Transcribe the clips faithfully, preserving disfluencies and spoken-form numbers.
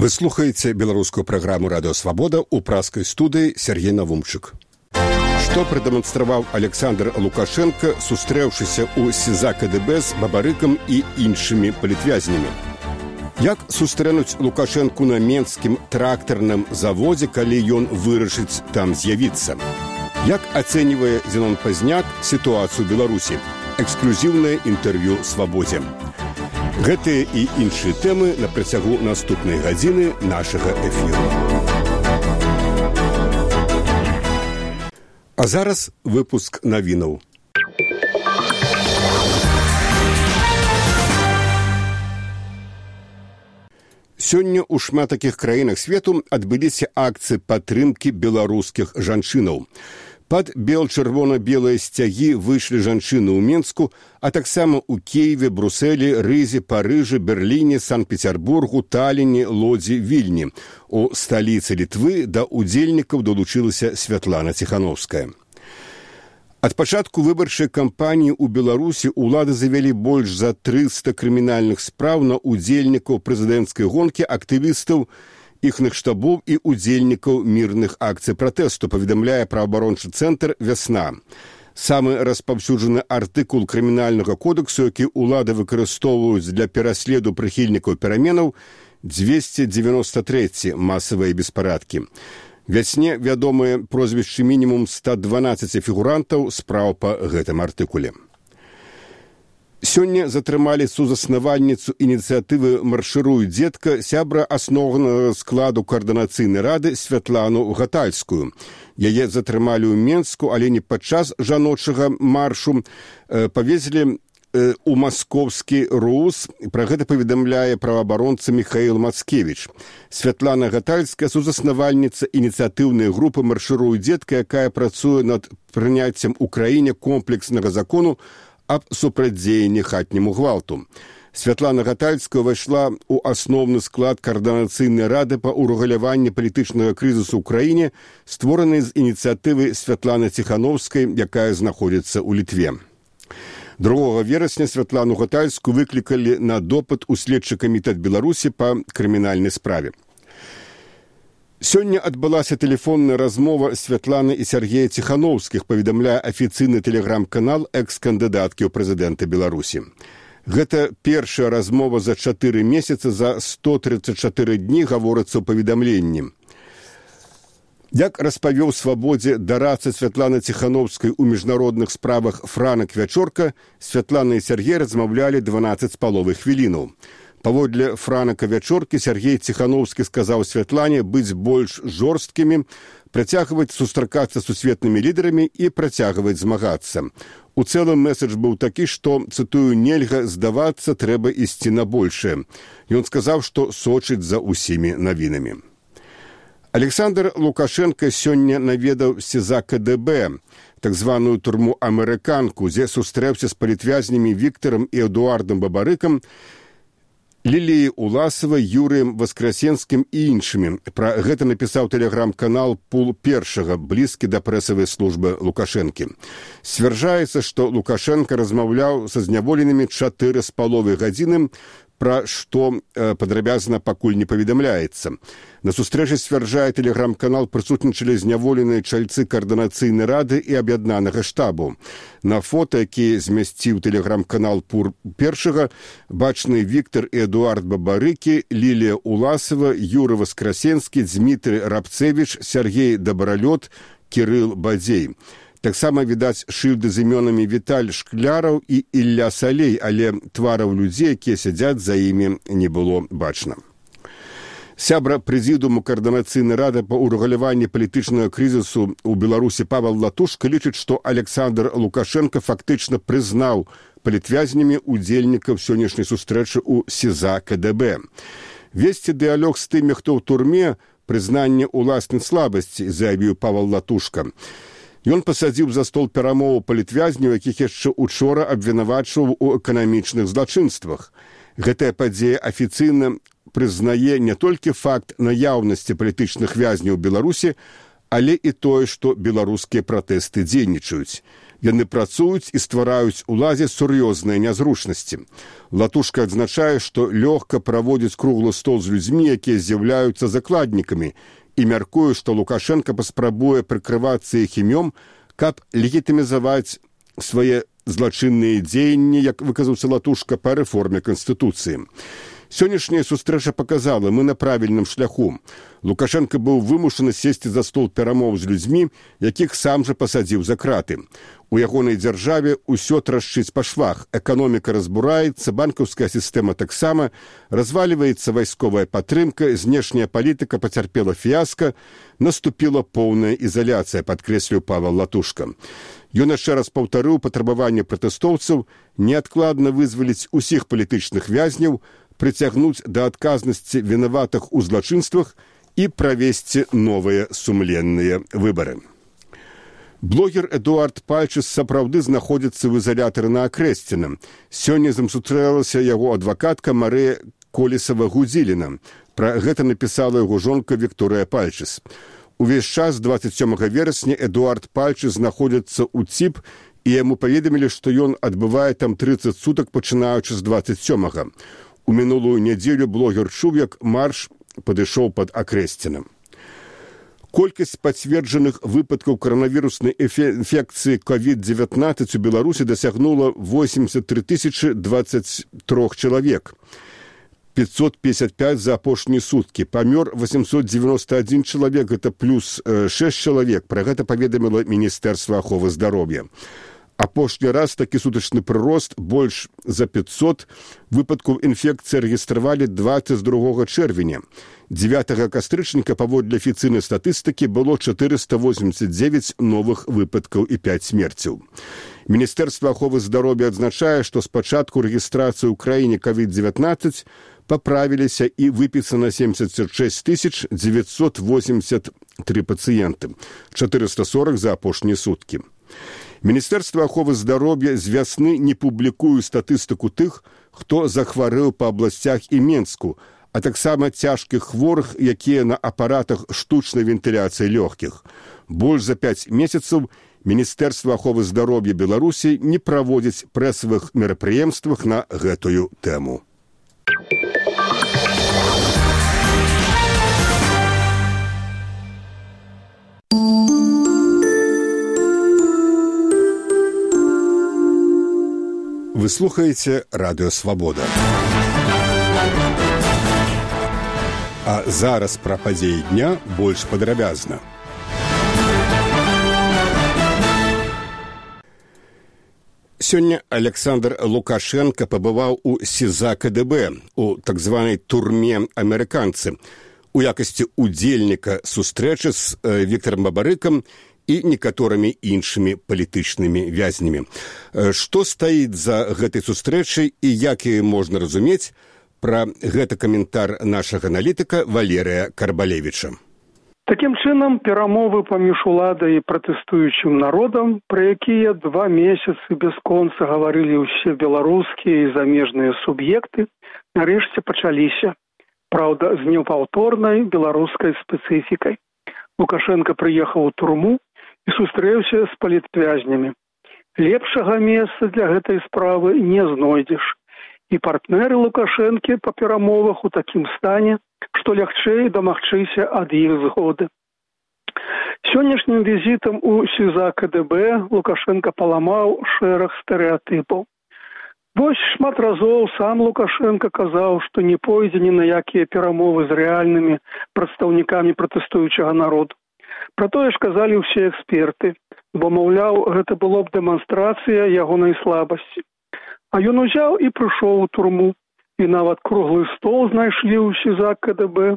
Вы слухаеце беларускую праграму «Радыё Свабода» ў праскай студыі Сергей Навумчык. Што прадэманстраваў Александр Лукашенко, сустрэўшыся ў СІЗА КДБ з Бабарыкам і іншымі палітвязнямі? Як сустрэнуць Лукашенку на менскім трактарным заводзе, калі ён вырашыць там з'явіцца? Як ацэньвае Зенон Пазняк сітуацыю Беларусі? Эксклюзіўнае інтэрв'ю «Свабодзе». Гэтыя і іншыя тэмы на працягу наступнай гадзіны нашага эфіру. А зараз выпуск навінаў. Сёння ў шмат такіх краінах свету адбыліся акцыі падтрымкі беларускіх жанчынаў. Пад бел-чырвона-белыя сцягі выйшлі жанчыны ў Менску, а таксама ў Кіеве, Брусэлі, Рызе, Парыжы, Берліне, Санкт-Петербургу, Талліне, Лодзі, Вільні. У сталіцы Літвы да ўдзельнікаў далучылася Святлана Ціхановская. Ад пачатку выбарчай кампаніі ў Беларусі ўлады завялі больш за трыста крымінальных спраў на ўдзельнікаў прэзідэнцкай гонкі, актывістаў, іхных штабоў і удзельнікаў мірных акцый пратэсту, паведамляе праваабарончы цэнтр «Вясна». Самы распаўсюджаны артыкул крымінальнага кодексу, які ўлады выкарыстоўваюць для пераследу прыхільнікаў пераменаў, дзвесце дзевяноста трэці масавыя беспарадкі. «Вясне» вядомыя прозвішчы мінімум ста дванаццаць фігурантаў спраў па гэтым артыкуле. Сёння затрымалі сузаснавальніцу ініцыятывы «Маршыруй, дзетка», сябра асноўнага складу каардынацыйнай рады Святлану Гатальскую. Яе затрымалі ў Менску, але не падчас жаночага маршу, павезлі ў маскоўскі РУС. Пра гэта паведамляе праваабаронца Міхаіл Мацкевіч. Святлана Гатальская – сузаснавальніца ініцыятыўнай групы «Маршыруй, дзетка», якая працуе над прыняццем у краіне комплекснага закону аб супрацьдзеянні хатняму гвалту. Святлана Гатальская ўвайшла ў асноўны склад каардынацыйнай рады па ўрэгуляванні палітычнага крызісу ў краіне, створанай з ініцыятывы Святланы Ціхановскай, якая знаходзіцца ў Літве. другога верасня Святлану Гатальскую выклікалі на допыт у следчы камітэт Беларусі па крымінальнай справе. Сёння адбылася тэлефонная размова Святланы і Сергея Ціхановскіх, паведамляе афіцыйны тэлеграм-канал экс-кандыдаткі ў прэзідэнты Беларусі. Гэта першая размова за чатыры месяцы, за сто трыццаць чатыры дні, гаворыцца ў паведамленні. Як распавёў «Свабодзе» дарадца Святланы Ціхановскай у міжнародных справах Франак Вячорка, Святлана і Сергей размаўлялі дванаццаць з паловай хвілінаў. Паводле Франака Вячоркі, Сергей Ціхановскі сказаў Святлане быць больш жорсткімі, працягваць сустракацца з сусветнымі лідарамі і працягваць змагацца. У цэлым месседж быў такі, што, цытую, «нельга здавацца, трэба ісці на большае». Ён сказаў, што сочыць за ўсімі навінамі. Александр Лукашенко сёння наведаў СІЗА КДБ, так званую турму «Амерыканку», дзе сустрэўся з палітвязнямі Віктарам і Эдуардам Бабарыкам, Ліліяй Уласавай, Юрыем Васкрасенскім і іншымі. Пра гэта напісаў тэлеграм-канал «Пул першага», блізкі да прэсавай службы Лукашэнкі. Сцвярджаецца, што Лукашенко размаўляў са зняволенымі чатыры з паловай гадзіны, пра што э, падрабязна пакуль не паведамляецца. На сустрэчы, сцвярджае тэлеграм-канал, прысутнічалі зняволеныя чальцы каардынацыйнай рады і аб'яднанага штабу. На фота, які змясціў тэлеграм-канал «Пул першага», бачны Віктар і Эдуард Бабарыкі, Лілія Уласава, Юры Васкрасенскі, Дзмітрый Рабцевіч, Сергей Дабралёт, Кірыл Бадзей. Таксама відаць шыльды з імёнамі Віталь Шкляраў і Ілля Салей, але твараў людзей, якія сядзяць за імі, не было бачна. Сябра прэзідыуму каардынацыйнай рады па ўрэгуляванні палітычнага крызісу ў Беларусі Павел Латушка лічыць, што Александр Лукашенко фактычна прызнаў палітвязнямі удзельнікаў сённяшняй сустрэчы ў СІЗА КДБ. Весці дыялог з тымі, хто ў турме, прызнанне ўласнай слабасці, заявіў Павел Латушка. Ён пасадзіў за стол перамоваў палітвязняў, якіх яшчэ учора абвінавачваў у эканамічных злачынствах. Гэтая падзея афіцыйна прызнае не толькі факт наяўнасці палітычных вязняў у Беларусі, але і тое, што беларускія пратэсты дзейнічаюць. Яны працуюць і ствараюць уладзе сур'ёзныя нязручнасці. Латушка адзначае, што лёгка праводзіць круглы стол з людзьмі, якія з'яўляюцца закладнікамі, і мяркуе, што Лукашенка паспрабуе прыкрывацца іх імём, каб легітымізаваць свае злачынныя дзеянні, як выказаўся Латушка, па рэформе Канстытуцыі. Сённяшняя сустрэча паказала, мы на правільным шляху. Лукашенка быў вымушаны сесці за стол перамоў з людзьмі, якіх сам жа пасадзіў за краты. У ягонай дзяржаве ўсё трашчыць па швах. Эканоміка разбураецца, банкаўская сістэма таксама, разваліваецца вайсковая падтрымка, знешняя палітыка пацярпела фіяска, наступіла поўная ізаляцыя, падкрэсліў Павел Латушка. Ён яшчэ раз паўтарыў патрабаванне пратэстоўцаў неадкладна вызваліць усіх палітычных вязняў, прыцягнуць да адказнасці вінаватых у злачынствах і правесці новыя сумленныя выбары. Блогер Эдуард Пальчыс сапраўды знаходзіцца ў ізалятары на Акрэсціна. Сёння з ім сустрэлася яго адвакатка Марыя Колесава-Гудзіліна. Пра гэта напісала яго жонка Вікторыя Пальчыс. Увесь час дваццаць сёмага верасня Эдуард Пальчыс знаходзіцца ў ЦІП, і яму паведамілі, што ён адбывае там трыццаць сутак, пачынаючы з дваццаць сёмага. У мінулую нядзелю блогер чуў, як марш падышоў пад Акрэсцінам. Колькасць пацверджаных выпадкаў каранавіруснай інфекцыі ковід дзевятнаццаць у Беларусі дасягнула восемьдесят три тысячи двадцать три чалавек. пятьсот пятьдесят пять за апошнія суткі. Памёр восемьсот девяносто один чалавек, гэта плюс шесть чалавек. Пра гэта паведаміла Міністэрства аховы здароўя. Апошні раз такі сутачны прырост больш за пятьсот выпадкаў інфекцыі рэгістравалі двадцать другога чэрвеня. дзевятага кастрычніка паводле афіцыйнай статыстыкі было четыреста восемьдесят девять новых выпадкаў і пять смерцяў. Міністэрства аховы здароўя адзначае, што з пачатку рэгістрацыі ў краіне ковід дзевятнаццаць паправіліся і выпісана семьдесят шесть тысяч девятьсот восемьдесят три пацыенты, четыреста сорок за апошнія суткі. Міністэрства аховы здароўя з вясны не публікуе статыстыку тых, хто захварэў па абласцях і Менску, а таксама цяжкіх хворых, якія на апаратах штучнай вентыляцыі лёгкіх. Больш за пяць месяцаў Міністэрства аховы здароўя Беларусі не праводзіць прэсавых мерапрыемствах на гэтую тэму. Вы слухаеце Радыё Свабода. А зараз пра падзеі дня больш падрабязна. Сёння Александр Лукашенко пабываў у СІЗА КДБ, у так званай турме амерыканцы, у якасці удзельніка сустрэчы з Віктарам Бабарыкам і некаторымі іншымі палітычнымі вязнямі. Што стаіць за гэтай сустрэчай і як яе можна разумець? Пра гэта каментар нашага аналітыка Валерыя Карбалевіча. Такім чынам, перамовы паміж уладай і пратэстуючым народам, пра якія два месяцы бясконца гаварылі ўсе беларускія і замежныя суб'екты, нарэшце пачаліся. Праўда, з непаўторнай беларускай спецыфікай. Лукашенко прыехаў у турму і сустрэўся з палітвязнямі. Лепшага месца для гэтай справы не знойдзеш. І партнеры Лукашэнкі па перамовах у такім стане, што лягчэй дамагчыся ад іх згоды. Сённяшнім візітам у СІЗА КДБ Лукашенко паламаў шэраг стэрэатыпаў. Вось шмат разоў сам Лукашенко казаў, што не пойдзе ні на якія перамовы з рэальнымі прадстаўнікамі пратэстуючага народу. Пра тое ж казалі ўсе эксперты, бо, маўляў, гэта было б дэманстрацыя ягонай слабасці. А ён узяў і прыйшоў у турму, і нават круглы стол знайшлі ў СІЗА КДБ.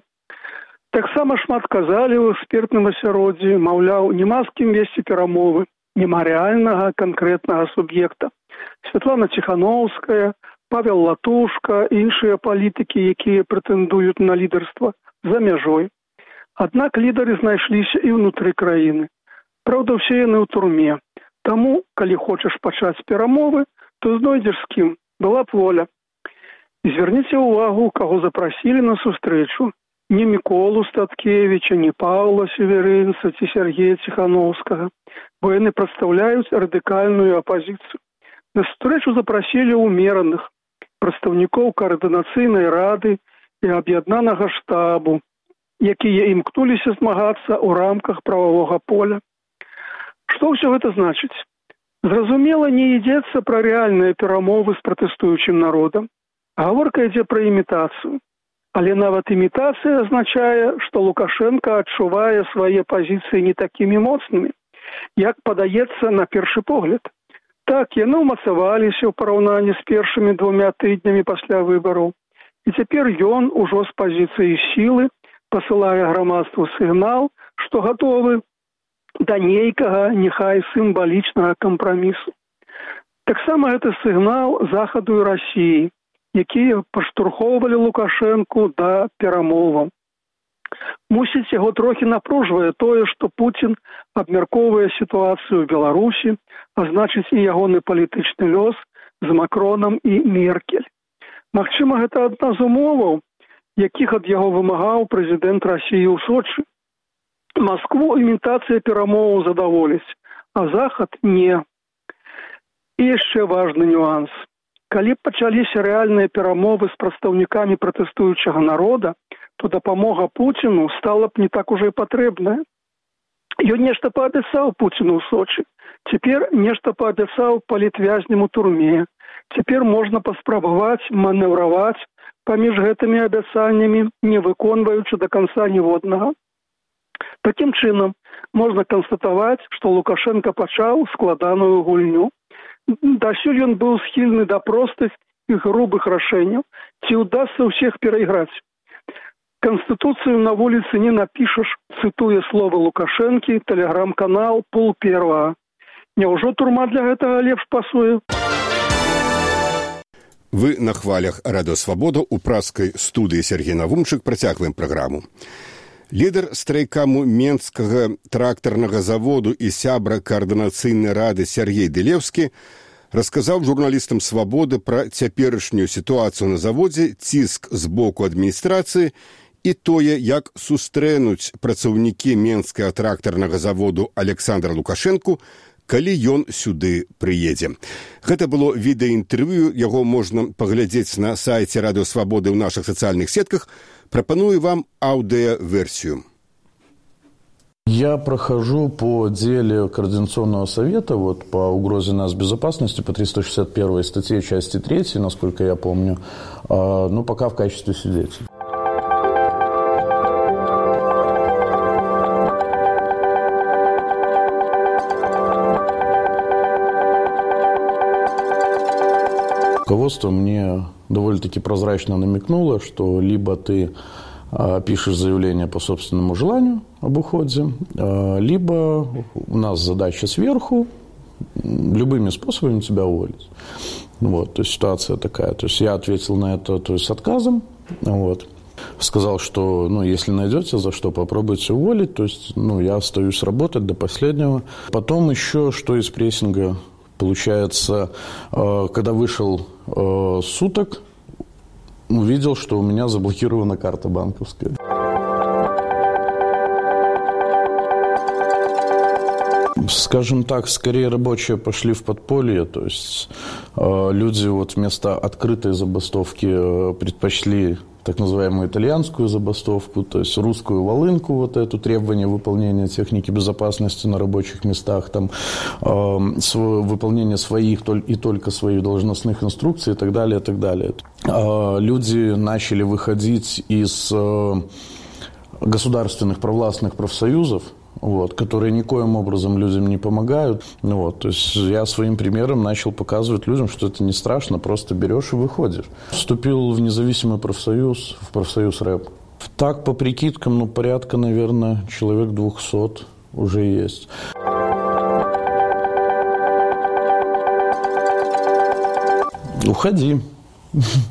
Таксама шмат казалі ў экспертным асяроддзі, маўляў, няма з кім весці перамовы, няма рэальнага канкрэтнага суб'екта. Святлана Ціхановская, Павел Латушка, іншыя палітыкі, якія прэтэндуюць на лідарства за мяжой. Аднак лідары знайшліся і ўнутры краіны. Праўда, ўсе яны ў турме. Таму, калі хочаш пачаць перамовы, то знойдзеш з кім. Была б воля. І звярніце ўвагу, каго запрасілі на сустрэчу. ні Міколу Статкевіча, ні Паўла Северынца ці Сергея Ціхановскага, бо яны прадстаўляюць радыкальную апазіцыю. На сустрэчу запрасілі ўмераных прадстаўнікоў каардынацыйнай рады і аб'яднанага штабу, якія імкнуліся змагацца ў рамках прававога поля. Што ўсё гэта значыць? Зразумела, не ідзецца пра рэальныя перамовы з пратэстуючым народам. Гаворка ідзе пра імітацыю. Але нават імітацыя азначае, што Лукашенко адчувае свае пазіцыі не такімі моцнымі, як падаецца на першы погляд. Так, яны ўмацаваліся ў параўнанні з першымі двумя тыднямі пасля выбараў. І цяпер ён ужо з пазіцыі сілы пасылае грамадству сігнал, што гатовы да нейкага, няхай сімвалічнага кампрамісу. Таксама гэта сігнал Захаду і Расіі, якія паштурхоўвалі Лукашэнку да перамоваў. Мусіць, яго трохі напружвае тое, што Пуцін абмяркоўвае сітуацыю ў Беларусі, а значыць і ягоны палітычны лёс з Макронам і Меркель. Магчыма, гэта адна з умоваў, якіх ад яго вымагаў прэзідэнт Расіі ў Сочы. Маскву імітацыя перамоваў задаволіць, а Захад не. І яшчэ важны нюанс. Калі б пачаліся рэальныя перамовы з прадстаўнікамі пратэстуючага народа, то дапамога Пуціну стала б не так ужо і патрэбная. Ён нешта паабяцаў Пуціну ў Сочы, цяпер нешта паабяцаў палітвязням у турме. Цяпер можна паспрабаваць манеўраваць паміж гэтымі абяцаннямі, не выконваючы да канца ніводнага. Такім чынам, можна канстатаваць, што Лукашенко пачаў складаную гульню. Дасюль ён быў схільны да простых і грубых рашэнняў, ці ўдасца ўсіх перайграць. Канстытуцыю на вуліцы не напішаш, цытуе словы Лукашэнкі, тэлеграм-канал «Пол первага». Няўжо турма для гэтага лепш пасуе? Вы на хвалях Радыё Свабода у праскай студыі Сергей Навумчык працягваем праграму. Лідар страйкаму Менскага трактарнага заводу і сябра каардынацыйнай рады Сергей Дылеўскі расказаў журналістам «Свабоды» пра цяперашнюю сітуацыю на заводзе, ціск з боку адміністрацыі і тое, як сустрэнуць працаўнікі Менскага трактарнага заводу Александра Лукашэнку, калі ён сюды прыедзе. Гэта было відэаінтэрв'ю, яго можна паглядзець на сайце Радыё Свабоды ў нашых сацыяльных сетках. Пропоную вам аудиоверсию. Я прохожу по деле Координационного совета вот, по угрозе нацбезопасности по триста шестьдесят первой статье части третьей, насколько я помню, э, ну, пока в качестве свидетеля. Руководство мне довольно-таки прозрачно намекнуло, что либо ты э, пишешь заявление по собственному желанию об уходе, э, либо у нас задача сверху любыми способами тебя уволить. Вот, то есть ситуация такая. То есть я ответил на это, то есть с отказом. Вот. Сказал, что ну, если найдете за что, попробуйте уволить. То есть ну, я остаюсь работать до последнего. Потом еще что из прессинга. Получается, когда вышел суток, увидел, что у меня заблокирована карта банковская. Скажем так, скорее рабочие пошли в подполье, то есть люди вот вместо открытой забастовки предпочли так называемую итальянскую забастовку, то есть русскую волынку, вот это требование выполнения техники безопасности на рабочих местах, там, э, свое, выполнение своих и только своих должностных инструкций и так далее, и так далее. Э, люди начали выходить из э, государственных провластных профсоюзов, вот, которые никоим образом людям не помогают. Ну, вот, то есть я своим примером начал показывать людям, что это не страшно, просто берешь и выходишь. Вступил в независимый профсоюз, в профсоюз рэп. Так, по прикидкам, ну, порядка, наверное, человек двухсот уже есть. Уходи.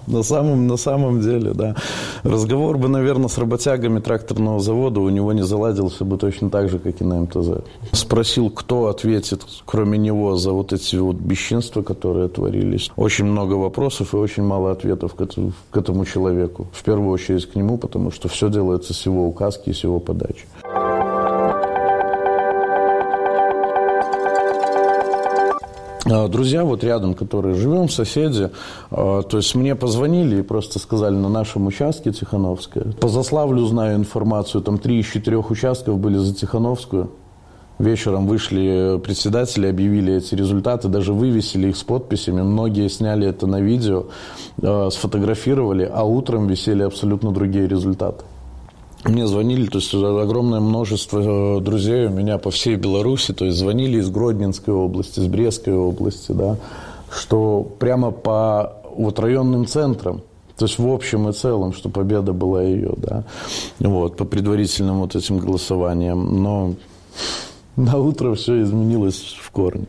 На самом, на самом деле, да. Разговор бы, наверное, с работягами тракторного завода у него не заладился бы точно так же, как и на эм тэ зэ. Спросил, кто ответит, кроме него, за вот эти вот бесчинства, которые творились. Очень много вопросов и очень мало ответов к этому, к этому человеку. В первую очередь к нему, потому что все делается с его указки и с его подачи. Друзья вот рядом, которые живем, соседи, то есть мне позвонили и просто сказали, на нашем участке Тихановская. По Заславлю знаю информацию, там три из четырех участков были за Тихановскую. Вечером вышли председатели, объявили эти результаты, даже вывесили их с подписями. Многие сняли это на видео, сфотографировали, а утром висели абсолютно другие результаты. Мне звонили, то есть огромное множество друзей у меня по всей Беларуси, то есть звонили из Гродненской области, из Брестской области, да, что прямо по вот районным центрам, то есть в общем и целом, что победа была ее, да, вот, по предварительным вот этим голосованиям, но на утро все изменилось в корне.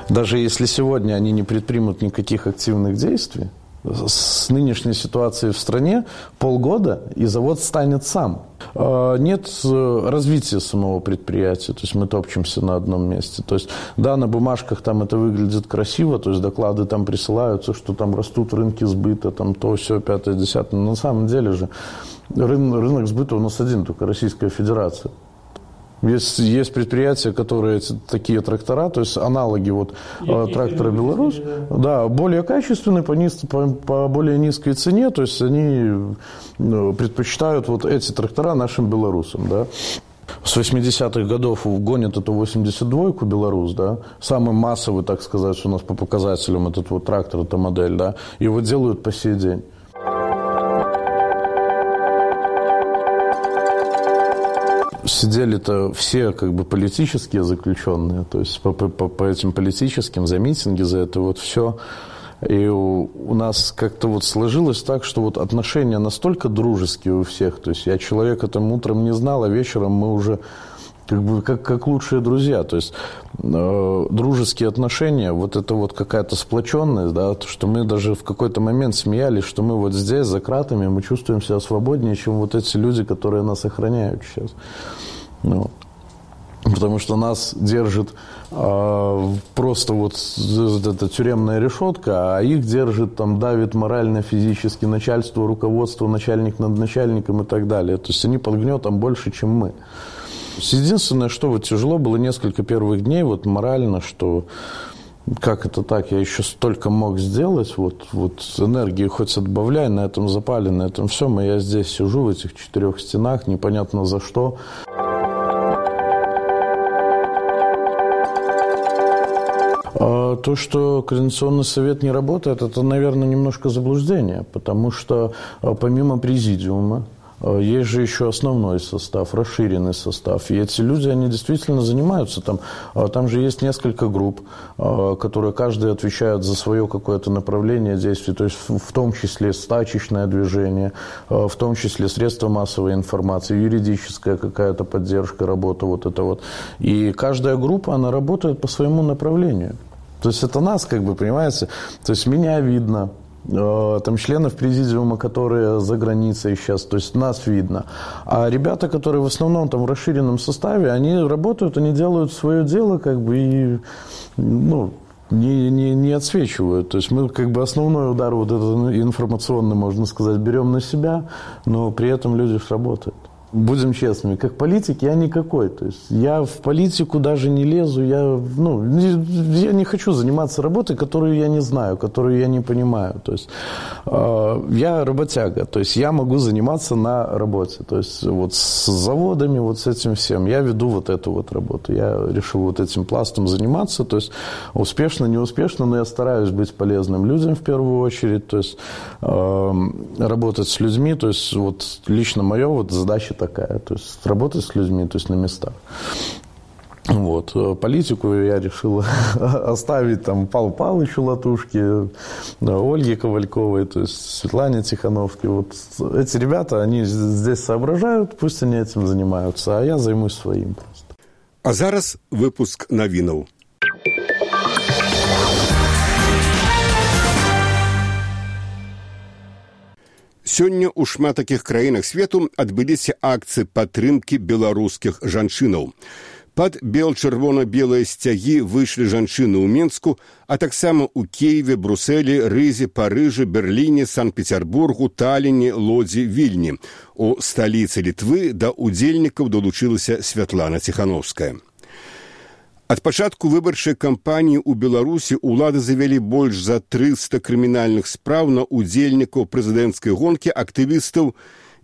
Даже если сегодня они не предпримут никаких активных действий, с нынешней ситуацией в стране полгода, и завод станет сам. Нет развития самого предприятия, то есть мы топчемся на одном месте. То есть, да, на бумажках там это выглядит красиво, то есть доклады там присылаются, что там растут рынки сбыта, там то, все, пятое, десятое. Но на самом деле же рынок, рынок сбыта у нас один, только Российская Федерация. Есть, есть предприятия, которые такие трактора, то есть аналоги вот есть, трактора «Беларусь», да, более качественные, по, низ, по, по более низкой цене, то есть они предпочитают вот эти трактора нашим белорусам, да. С восьмидесятых годов гонят эту восемьдесят двойку «Беларусь», да, самый массовый, так сказать, у нас по показателям этот вот трактор, эта модель, да, его делают по сей день. Сидели-то все как бы политические заключенные, то есть по, по, по этим политическим, за митинги, за это вот все. И у, у нас как-то вот сложилось так, что вот отношения настолько дружеские у всех. То есть я человека там утром не знал, а вечером мы уже как бы как, как лучшие друзья. То есть э, дружеские отношения, вот это вот какая-то сплоченность, да, то, что мы даже в какой-то момент смеялись, что мы вот здесь, за кратами, мы чувствуем себя свободнее, чем вот эти люди, которые нас охраняют сейчас. Ну, потому что нас держит э, просто вот эта тюремная решетка, а их держит, там, давит морально, физически начальство, руководство, начальник над начальником и так далее. То есть они под гнетом больше, чем мы. Единственное, что вот тяжело было несколько первых дней, вот морально, что как это так, я еще столько мог сделать, вот, вот энергии хоть отбавляй, на этом запале, на этом всем, и я здесь сижу в этих четырех стенах, непонятно за что. А то, что Координационный совет не работает, это, наверное, немножко заблуждение, потому что помимо президиума, есть же еще основной состав, расширенный состав. И эти люди, они действительно занимаются там. Там же есть несколько групп, которые каждый отвечает за свое какое-то направление действий. То есть в том числе стачечное движение, в том числе средства массовой информации, юридическая какая-то поддержка, работа вот это вот. И каждая группа, она работает по своему направлению. То есть это нас, как бы, понимаете, то есть меня видно. Там членов президиума, которые за границей сейчас, то есть нас видно. А ребята, которые в основном там в расширенном составе, они работают, они делают свое дело, как бы, и, ну, не, не, не отсвечивают. То есть мы, как бы, основной удар вот этот информационный, можно сказать, берем на себя, но при этом люди работают. Будем честными, как политик я никакой. То есть я в политику даже не лезу, я, ну, я не хочу заниматься работой, которую я не знаю, которую я не понимаю. То есть э, я работяга, то есть я могу заниматься на работе. То есть вот с заводами, вот с этим всем. Я веду вот эту вот работу. Я решил вот этим пластом заниматься. То есть успешно, неуспешно, но я стараюсь быть полезным людям в первую очередь. То есть э, работать с людьми. То есть вот лично моя вот задача такая, то есть работать с людьми, то есть на местах. Вот. Политику я решил оставить там Павлу Павловичу Латушке, Ольге Ковальковой, то есть Светлане Тихановской. Вот эти ребята, они здесь соображают, пусть они этим занимаются, а я займусь своим просто. А зараз выпуск новинов. Сёння ў шмат такіх краінах свету адбыліся акцыі падтрымкі беларускіх жанчынаў. Пад бел-чырвона-белыя сцягі выйшлі жанчыны ў Мінску, а таксама ў Киеве, Брусэлі, Рызе, Парыжы, Берліне, Санкт-Петербургу, Талліне, Лодзі, Вільні. У сталіцы Літвы да удзельнікаў далучылася Святлана Ціхановская. Ад пачатку выбарчай кампаніі ў Беларусі ўлады завялі больш за трыста крымінальных спраў на удзельнікаў прэзідэнцкай гонкі, актывістаў,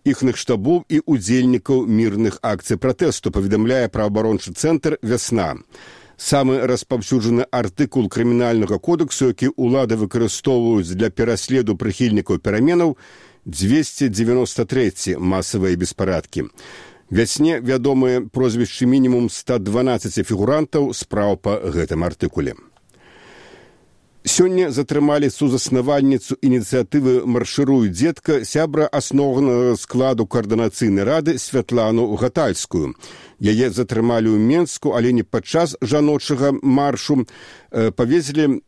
іхных штабоў і удзельнікаў мірных акцый пратэсту, паведамляе праваабарончы цэнтр «Вясна». Самы распаўсюджаны артыкул крымінальнага кодексу, які ўлады выкарыстоўваюць для пераследу прыхільнікаў пераменаў, дзвесце дзевяноста трэці масавыя беспарадкі. «Вясне» вядомыя прозвішчы мінімум ста дванаццаці фігурантаў спраў па гэтым артыкуле. Сёння затрымалі сузаснавальніцу ініцыятывы «Маршыруй, дзетка», сябра асноўнага складу каардынацыйнай рады Святлану Гатальскую. Яе затрымалі ў Менску, але не падчас жаночага маршу, павезлі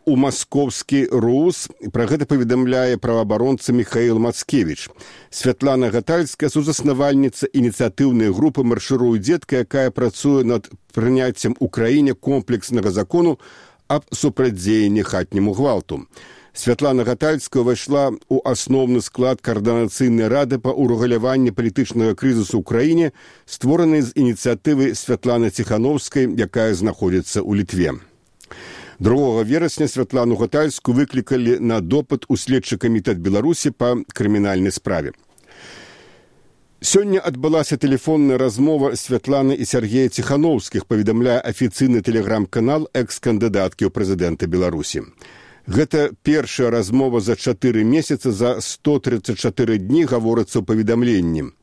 у маскоўскі РУС. Пра гэта паведамляе праваабаронца Міхаіл Мацкевіч. Святлана Гатальская – сузаснавальніца ініцыятыўнай групы «Маршыруй, дзетка», якая працуе над прыняццем у краіне комплекснага закону аб супрацьдзеянні хатняму гвалту. Святлана Гатальская ўвайшла ў асноўны склад каардынацыйнай рады па ўрэгуляванні палітычнага крызісу ў краіне, створанай з ініцыятывы Святланы Ціхановскай, якая знаходзіцца ў Літве. другога верасня Святлану Гатальскую выклікалі на допыт у следчы камітэт Беларусі па крымінальнай справе. Сёння адбылася тэлефонная размова Святланы і Сяргея Ціхановскіх, паведамляе афіцыйны тэлеграм-канал экс-кандыдаткі ў прэзідэнта Беларусі. Гэта першая размова за чатыры месяцы, за сто трыццаць чатыры дні, гаворыцца ў паведамленні.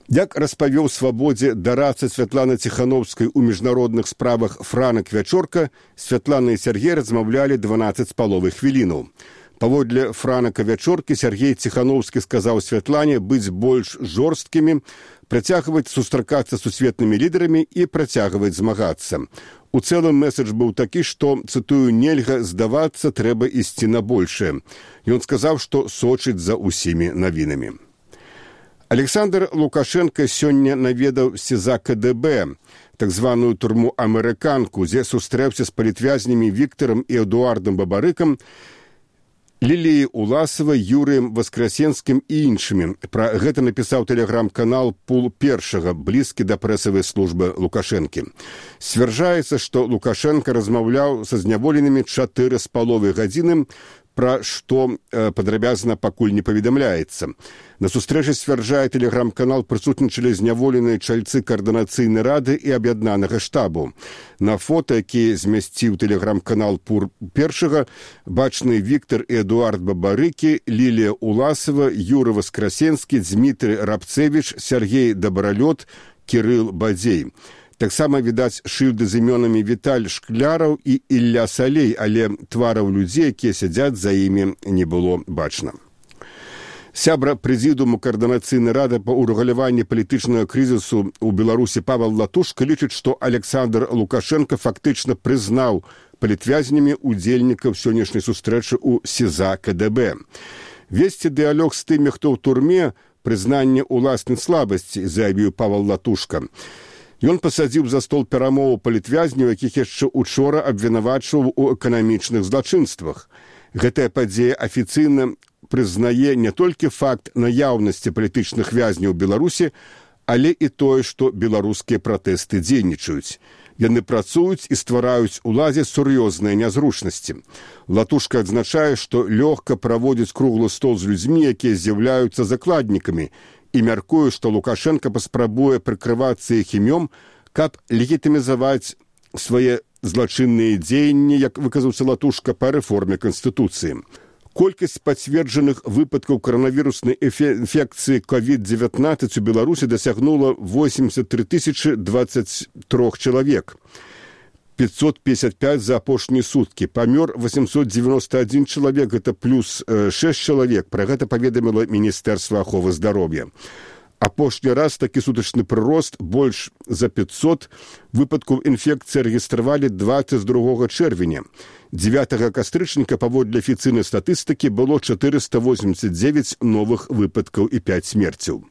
Як распавёў «Свабодзе» дарадца Святланы Ціхановскай у міжнародных справах Франак Вячорка, Святлана і Сяргей размаўлялі дванаццаць з паловай хвілінаў. Паводле Франака Вячоркі, Сяргей Ціхановскі сказаў Святлане быць больш жорсткімі, працягваць сустракацца з сусветнымі лідарамі і працягваць змагацца. У цэлым месседж быў такі, што, цытую, «нельга здавацца, трэба ісці на большае». Ён сказаў, што сочыць за ўсімі навінамі. Александр Лукашенко сёння наведаў СІЗА КДБ, так званую турму «Амерыканку», дзе сустрэўся з палітвязнямі Віктарам і Эдуардам Бабарыкам, Ліліяй Уласавай, Юрыем Васкрасенскім і іншымі. Пра гэта напісаў тэлеграм-канал «Пул першага», блізкі да прэсавай службы Лукашэнкі. Сцвярджаецца, што Лукашенко размаўляў са зняволенымі чатыры з паловай гадзіны, пра што э, падрабязна пакуль не паведамляецца. На сустрэчы, сцвярджае тэлеграм-канал, прысутнічалі зняволеныя чальцы каардынацыйнай рады і аб'яднанага штабу. На фота, які змясціў тэлеграм-канал «Пул першага», бачны Віктар і Эдуард Бабарыкі, Лілія Уласава, Юры Васкрасенскі, Дзмітрый Рабцевіч, Сяргей Дабралёт, Кірыл Бадзей. Таксама відаць шыльды з імёнамі Віталь Шкляраў і Ілля Салей, але твараў людзей, якія сядзяць за імі, не было бачна. Сябра прэзідыуму каардынацыйнай рады па ўрэгуляванні палітычнага крызісу ў Беларусі Павел Латушка лічыць, што Александр Лукашенко фактычна прызнаў палітвязнямі удзельнікаў сённяшняй сустрэчы ў СІЗА КДБ. Весці дыялог з тымі, хто ў турме, прызнанне ўласнай слабасці, заявіў Павел Латушка. Ён пасадзіў за стол перамову палітвязняў, якіх яшчэ учора абвінавачваў у эканамічных злачынствах. Гэтая падзея афіцыйна прызнае не толькі факт наяўнасці палітычных вязняў у Беларусі, але і тое, што беларускія пратэсты дзейнічаюць. Яны працуюць і ствараюць уладзе сур'ёзныя нязручнасці. Латушка адзначае, што лёгка праводзіць круглы стол з людзьмі, якія з'яўляюцца закладнікамі, і мяркую, што Лукашенко паспрабуе прыкрывацца іх імём, каб легітымізаваць свае злачынныя дзеянні, як выказаўся Латушка, па рэформе Канстытуцыі. Колькасць пацверджаных выпадкаў каранавіруснай інфекцыі ковід дзевятнаццаць у Беларусі дасягнула восемьдесят три тысячи двадцать три чалавек. пятьсот пятьдесят пять за апошнія суткі. Памёр восемьсот девяносто один чалавек, гэта плюс шесть чалавек. Пра гэта паведаміла Міністэрства аховы здароўя. Апошні раз такі сутачны прырост больш за пятьсот выпадкаў інфекцыі рэгістравалі двадцать другога чэрвеня. дзевятага кастрычніка паводле афіцыйнай статыстыкі было четыреста восемьдесят девять новых выпадкаў і пять смерцяў.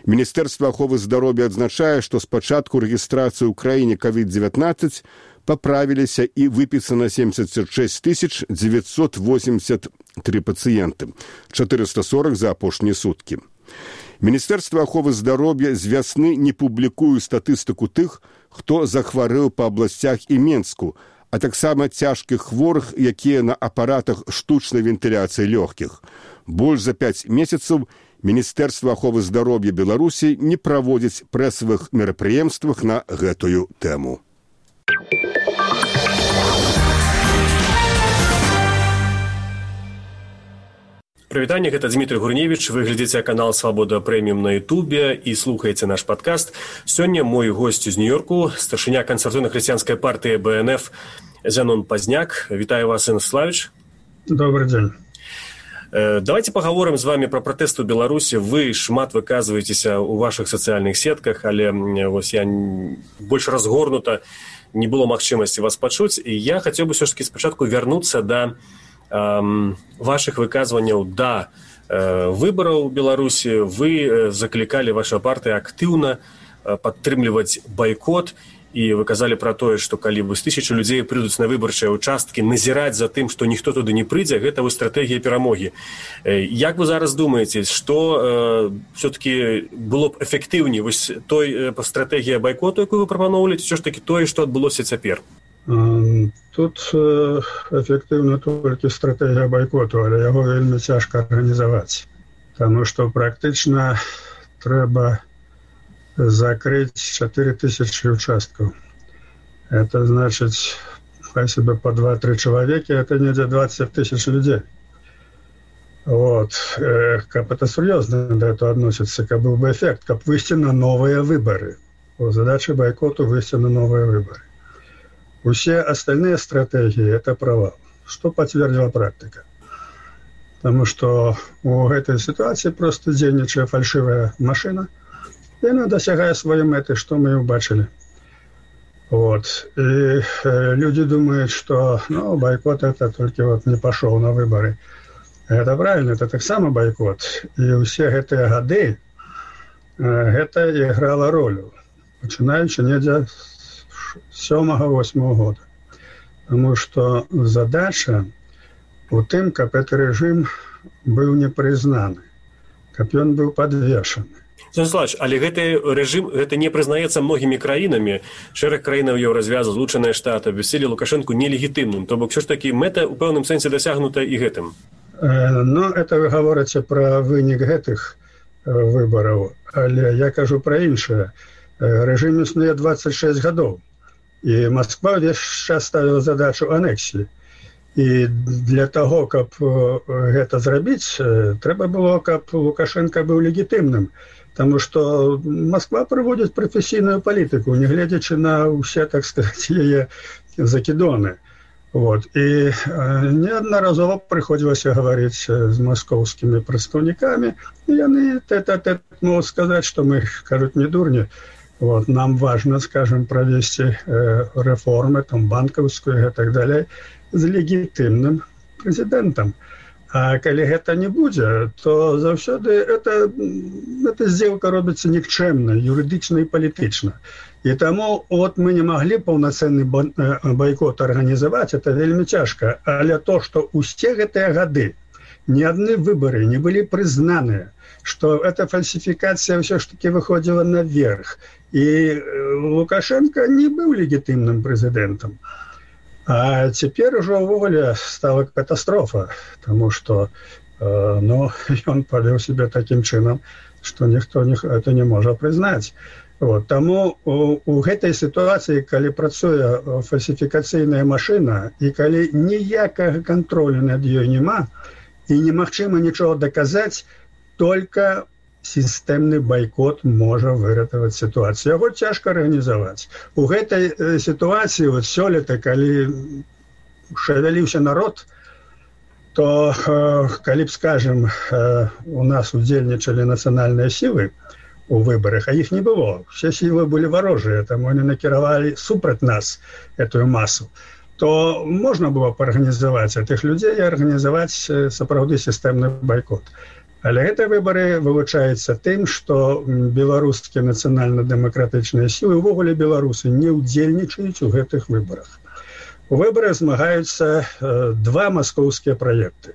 Міністэрства аховы здароўя адзначае, што з пачатку рэгістрацыі ў краіне ковід девятнадцать паправіліся і выпісана семьдесят шесть тысяч девятьсот восемьдесят три пацыенты, четыреста сорок за апошнія суткі. Міністэрства аховы здароўя з вясны не публікуе статыстыку тых, хто захварэў па абласцях і Менску, а таксама цяжкіх хворых, якія на апаратах штучнай вентыляцыі лёгкіх. Больш за пяць месяцаў Міністэрства аховы здароўя Беларусі не праводзіць прэсавых мерапрыемствах на гэтую тэму. Прывітанне, гэта Дмітрый Гурневіч, вы глядзіце канал «Свабода прэміум» на ютубе і слухаеце наш падкаст. Сёння мой госць з Нью-Йорку, старшыня кансерватыўна-хрысціянскай партыі бэ эн эф Зянон Пазняк. Вітаю вас, Станіславіч. Добрый дзень. Давайте паговорым з вами пра пратэст у Беларусі. Вы шмат выказваецеся ў вашых сацыяльных сетках, але вось я больш разгорнута не было магчымасці вас пачуць. І я хацеў бы ўсё ж такі спачатку вярнуцца да эм, вашых выказванняў да э, выбараў у Беларусі. Вы заклікалі ваша партыя актыўна э, падтрымліваць байкот. І вы казалі пра тое, што калі вось тысячы людзей прыйдуць на выбарчыя ўчасткі, назіраць за тым, што ніхто туды не прыйдзе, гэта вось стратэгія перамогі. Як вы зараз думаеце, што э, все-таки было б эфектыўней вось той э, стратэгія байкоту, якую вы прапаноўвалі, ці ўсё ж такі тое, што адбылося цяпер? Тут э, эфектыўна толькі стратэгія байкоту, але яго вельмі цяжка арганізаваць, таму што практычна трэба закрыть четыре тысячи участков. Это значит, хай себе по два-три человека, это не двадцать тысяч людей. Вот. Как это серьезно до этого относится, как был бы эффект, как выйти на новые выборы. Вот задача бойкоту выйти на новые выборы. Все остальные стратегии – это провал. Что подтвердила практика? Потому что у этой ситуации просто денежная фальшивая машина, и она досягает своей меты, что мы и убачили. Вот. И э, люди думают, что ну, бойкот это только вот не пошел на выборы. Это правильно, это так само бойкот. И у всех эти годы э, это играло роль. Начинаючи не с сёмага-восьмага года. Потому что задача у тем, как этот режим был не признан, как он был подвешен. Станіславіч, але гэты рэжым гэта не прызнаецца многімі краінамі. Шэраг краінаў Еўразвязу, Злучаныя Штаты абвясцілі Лукашэнку нелегітымным. То бок, ўсё ж такі мэта ў пэўным сэнсе дасягнута і гэтым. Э, ну, это вы гаворыце пра вынік гэтых э, выбараў, але я кажу пра іншае. Э, рэжым існуе двадцать шесть гадоў, і Масква ўвесь час ставіла задачу анексіі. І для таго, каб э, гэта зрабіць, э, трэба было, каб Лукашенко быў легітымным. Потому что Москва проводит профессийную политику, не глядячи на все, так сказать, ее закидоны. Вот. И э, неодноразово приходилось говорить с московскими представниками, и они тет-а-тет могут сказать, что мы, кажут, не дурни. Вот. Нам важно, скажем, провести э, реформы, там, банковскую и так далее, с легитимным президентом. А калі гэта не будзе, то заўсёды эта, эта сделка робіцца нікчэмна, юрыдычна і палітычна. І таму от мы не маглі паўнацэнны байкот арганізаваць, это вельмі цяжка. Але то, што ўсе гэтыя гады ні адны выбары не былі прызнаныя, што эта фальсіфікацыя ўсё ж такі выходзіла наверх. І Лукашенко не быў легітымным прэзідэнтам. А теперь уже уволе стала катастрофа, потому что э, ну, он повел себя таким чином, что никто не, это не может признать. Вот. Тому у, у этой ситуации, когда працуе фальсификацийная машина, и когда никакого контроля над ее нема, и немагчыма ничего доказать, только системный бойкот может выратаваць ситуацию. Его тяжко организовать. У этой э, ситуации, вот сёлета, когда шевелился народ, то, э, когда, скажем, э, у нас удзельнічалі национальные силы, у выборах, а их не было. Все силы были ворожие, там они накировали супраць нас эту массу. То можно было поорганизовать этих людей и организовать сапраўды системный бойкот. Але гэтыя выборы вылучаюцца тым, што беларускія нацыянальна-дэмакратычныя сілы, увогуле беларусы не ўдзельнічаюць у гэтых выборах. У выборах змагаюцца два маскоўскія праекты.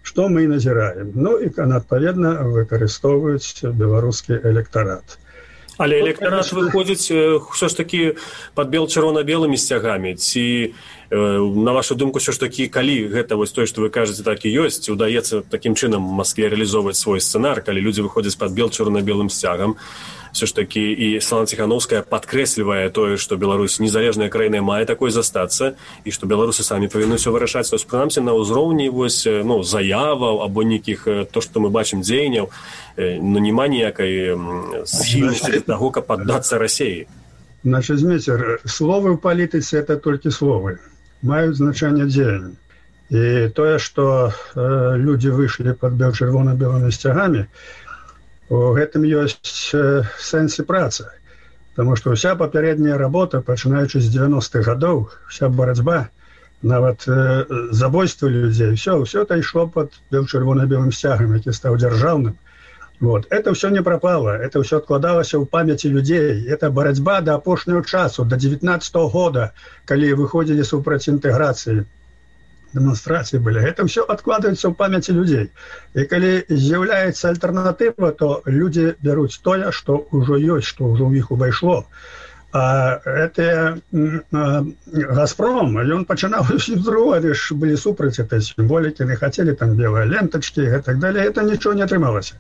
Што мы і назіраем? Ну і, адпаведна, выкарыстоўваюць беларускі электарат. Але электарат выходзіць ўсё ж такі пад бел-чырвона-белымі сцягамі. Ці, на вашу думку, ўсё ж такі, калі гэта вось тое, што вы кажаце, так і ёсць, удаецца такім чынам Маскве рэалізоўваць свой сцэнар, калі людзі выходзяць пад бел-чырвона-белым сцягам, все ж таки і Святлана Ціхановская падкрэслівае тое, што Беларусь незалежная краіна мае такой застацца і што беларусы самі павінны ўсё вырашаць. То есть, прынамсі, на ўзроўні вось, ну, заяваў або нейкіх, то, што мы бачым, дзеянняў, ну, няма ніякай схільнасці для таго, каб паддацца Расіі. Значит, Зміцер, словы ў палітыцы – это толькі словы. Маюць значэнне дзеяння. І тое, што э, людзі выйшлі пад бел-чырвона-белымі сцягамі, у гэтым ёсць сэнс і праца, таму што ўся папярэдняя работа, пачынаючы з дзевяностых гадоў, вся барацьба, нават э, забойствы людзей, все, все это ішло пад чырвона-белым сцягам, які стаў дзяржаўным. Вот. Это все не пропало, это все откладалось в памяти людей. Это борьба до апошняго часу, до девятнадцатого года, когда выходили супраць интеграции, демонстрации были. Это все откладывается в памяти людей. И когда з'является альтернатива, то люди берут то, что уже есть, что уже у них увайшло. А это а, «Газпром», и он начинал с другого, они же были супраць этой символики, не хотели там белые ленточки и так далее. Это ничего не отрымалось.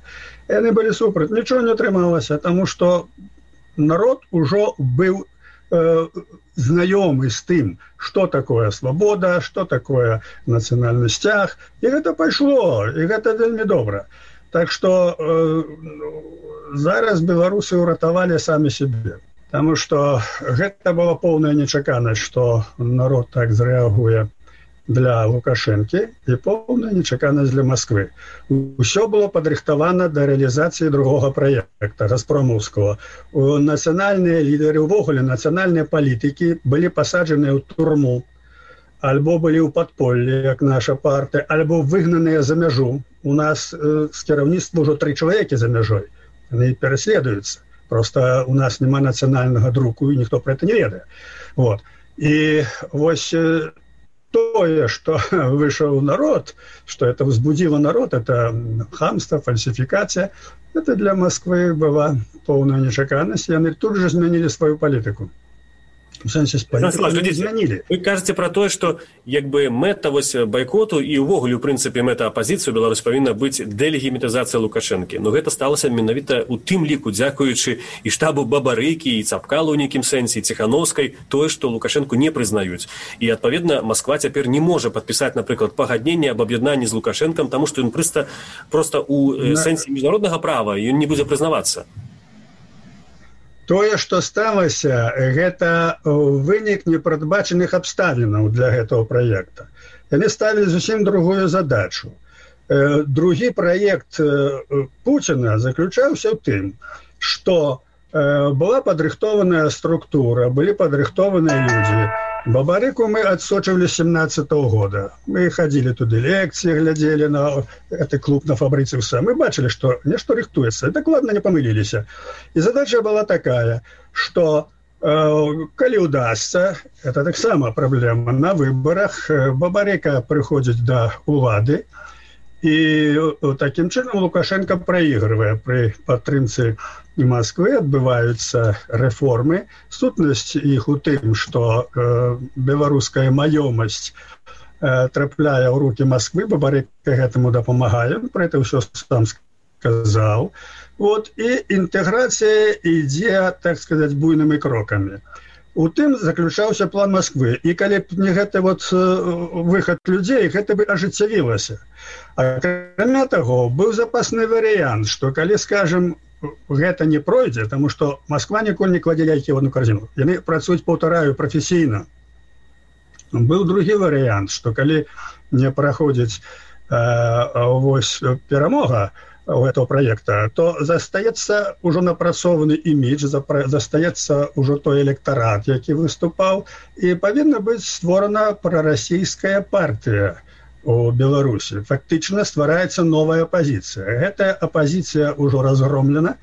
И они были супраць, ничего не отрымалось, потому что народ уже был э, знакомый с тем, что такое свобода, что такое национальный стяг. И это пошло, и это вельми добро. Так что э, зараз белорусы уратовали сами себе. Потому что гэта была полная нечаканасць, што народ так зрэагуе для Лукашэнкі і полная нечаканасць для Москвы. Усё было падрыхтавана да рэалізацыі другога праекта газпромаўскага. Нацыянальныя лідары, увогуле нацыянальныя палітыкі былі пасаджаныя ў турму, альбо былі ў падполлі, як наша партыя, альбо выгнаныя за мяжу. У нас э, з кіраўніцтва ўжо тры чалавекі за мяжой. Яны пераследуюцца. Просто у нас нема национального друку, и никто про это не ведает. Вот. И вот то, что вышел народ, что это возбудило народ, это хамство, фальсификация, это для Москвы была полная нечаканность, и они тут же изменили свою политику. В сэнсе змянілі. Вы кажаце пра тое, што як бы мэта вось байкоту і ўвогуле, у прынцыпе, мэта апазіцыі Беларусь павінна быць дэлегімітызацыя Лукашэнкі. Но гэта сталася менавіта ў тым ліку, дзякуючы і штабу Бабарыкі, і Цапкалу ў нейкім сэнсе, і Ціхановскай, тое, што Лукашэнку не прызнаюць. І, адпаведна, Масква цяпер не можа падпісаць, напрыклад, пагадненне аб аб'яднанні з Лукашэнкам, таму што ён проста проста ў сэнсе міжнароднага права ён не будзе прызнавацца. Тое, што сталася, гэта вынік непрадбачаных абставінаў для гэтага праекта. Яны ставілі зусім другую задачу. Другі праект Пуціна заключаўся ў тым, што была падрыхтованая структура, былі падрыхтованыя людзі. Бабарыку мы адсочвалі з семнадцатого года. Мы ходили туды лекции, глядели на этот клуб на Фабрыцыуса. Мы бачили, что нечто рыхтуется. И докладно не помылились. И задача была такая, что э, коли удастся, это так само проблема, на выборах Бабарыка приходит до улады, и таким чином Лукашенко проигрывая при падтрымцы Москвы, адбываюцца рэформы. Сутнасць іх у тым, што э, беларуская маёмасць э, трапляе ў рукі Москвы, Бабарыка гэтаму дапамагае, про это ўсё сам сказаў. Вот, і інтэграцыя ідзе, так сказаць, буйнымі крокамі. У тым заключаўся план Москвы. І калі б не гэты вот выхад людзей, гэта бы ажыццявілася. Акрамя таго, быў запасны варыянт, што калі, скажем, гэта не пройдзе, таму што Москва ніколі не кладзе яйкі ў одну карзіну. Яны працуюць, паўтараю, прафесійна. Быў другі варыянт, што калі не праходзіць э, вось перамога, у этого проекта, то застаецца ўжо напрацованы імідж, застаецца ўжо той электарат, які выступаў, і павінна быць створана прарасійская партыя у Беларусі. Фактычна ствараецца новая апазіцыя. Гэтая апазіцыя ўжо разгромлена.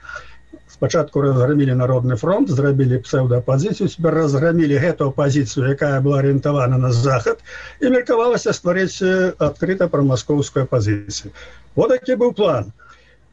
Спачатку разгромілі Народны фронт, зрабілі псеўдаапазіцыю, цяпер разгромілі гэту апазіцыю, якая была арыентавана на захад, і меркавалася стварыць адкрыта прамаскоўскую апазіцыю. Вот такі быў план.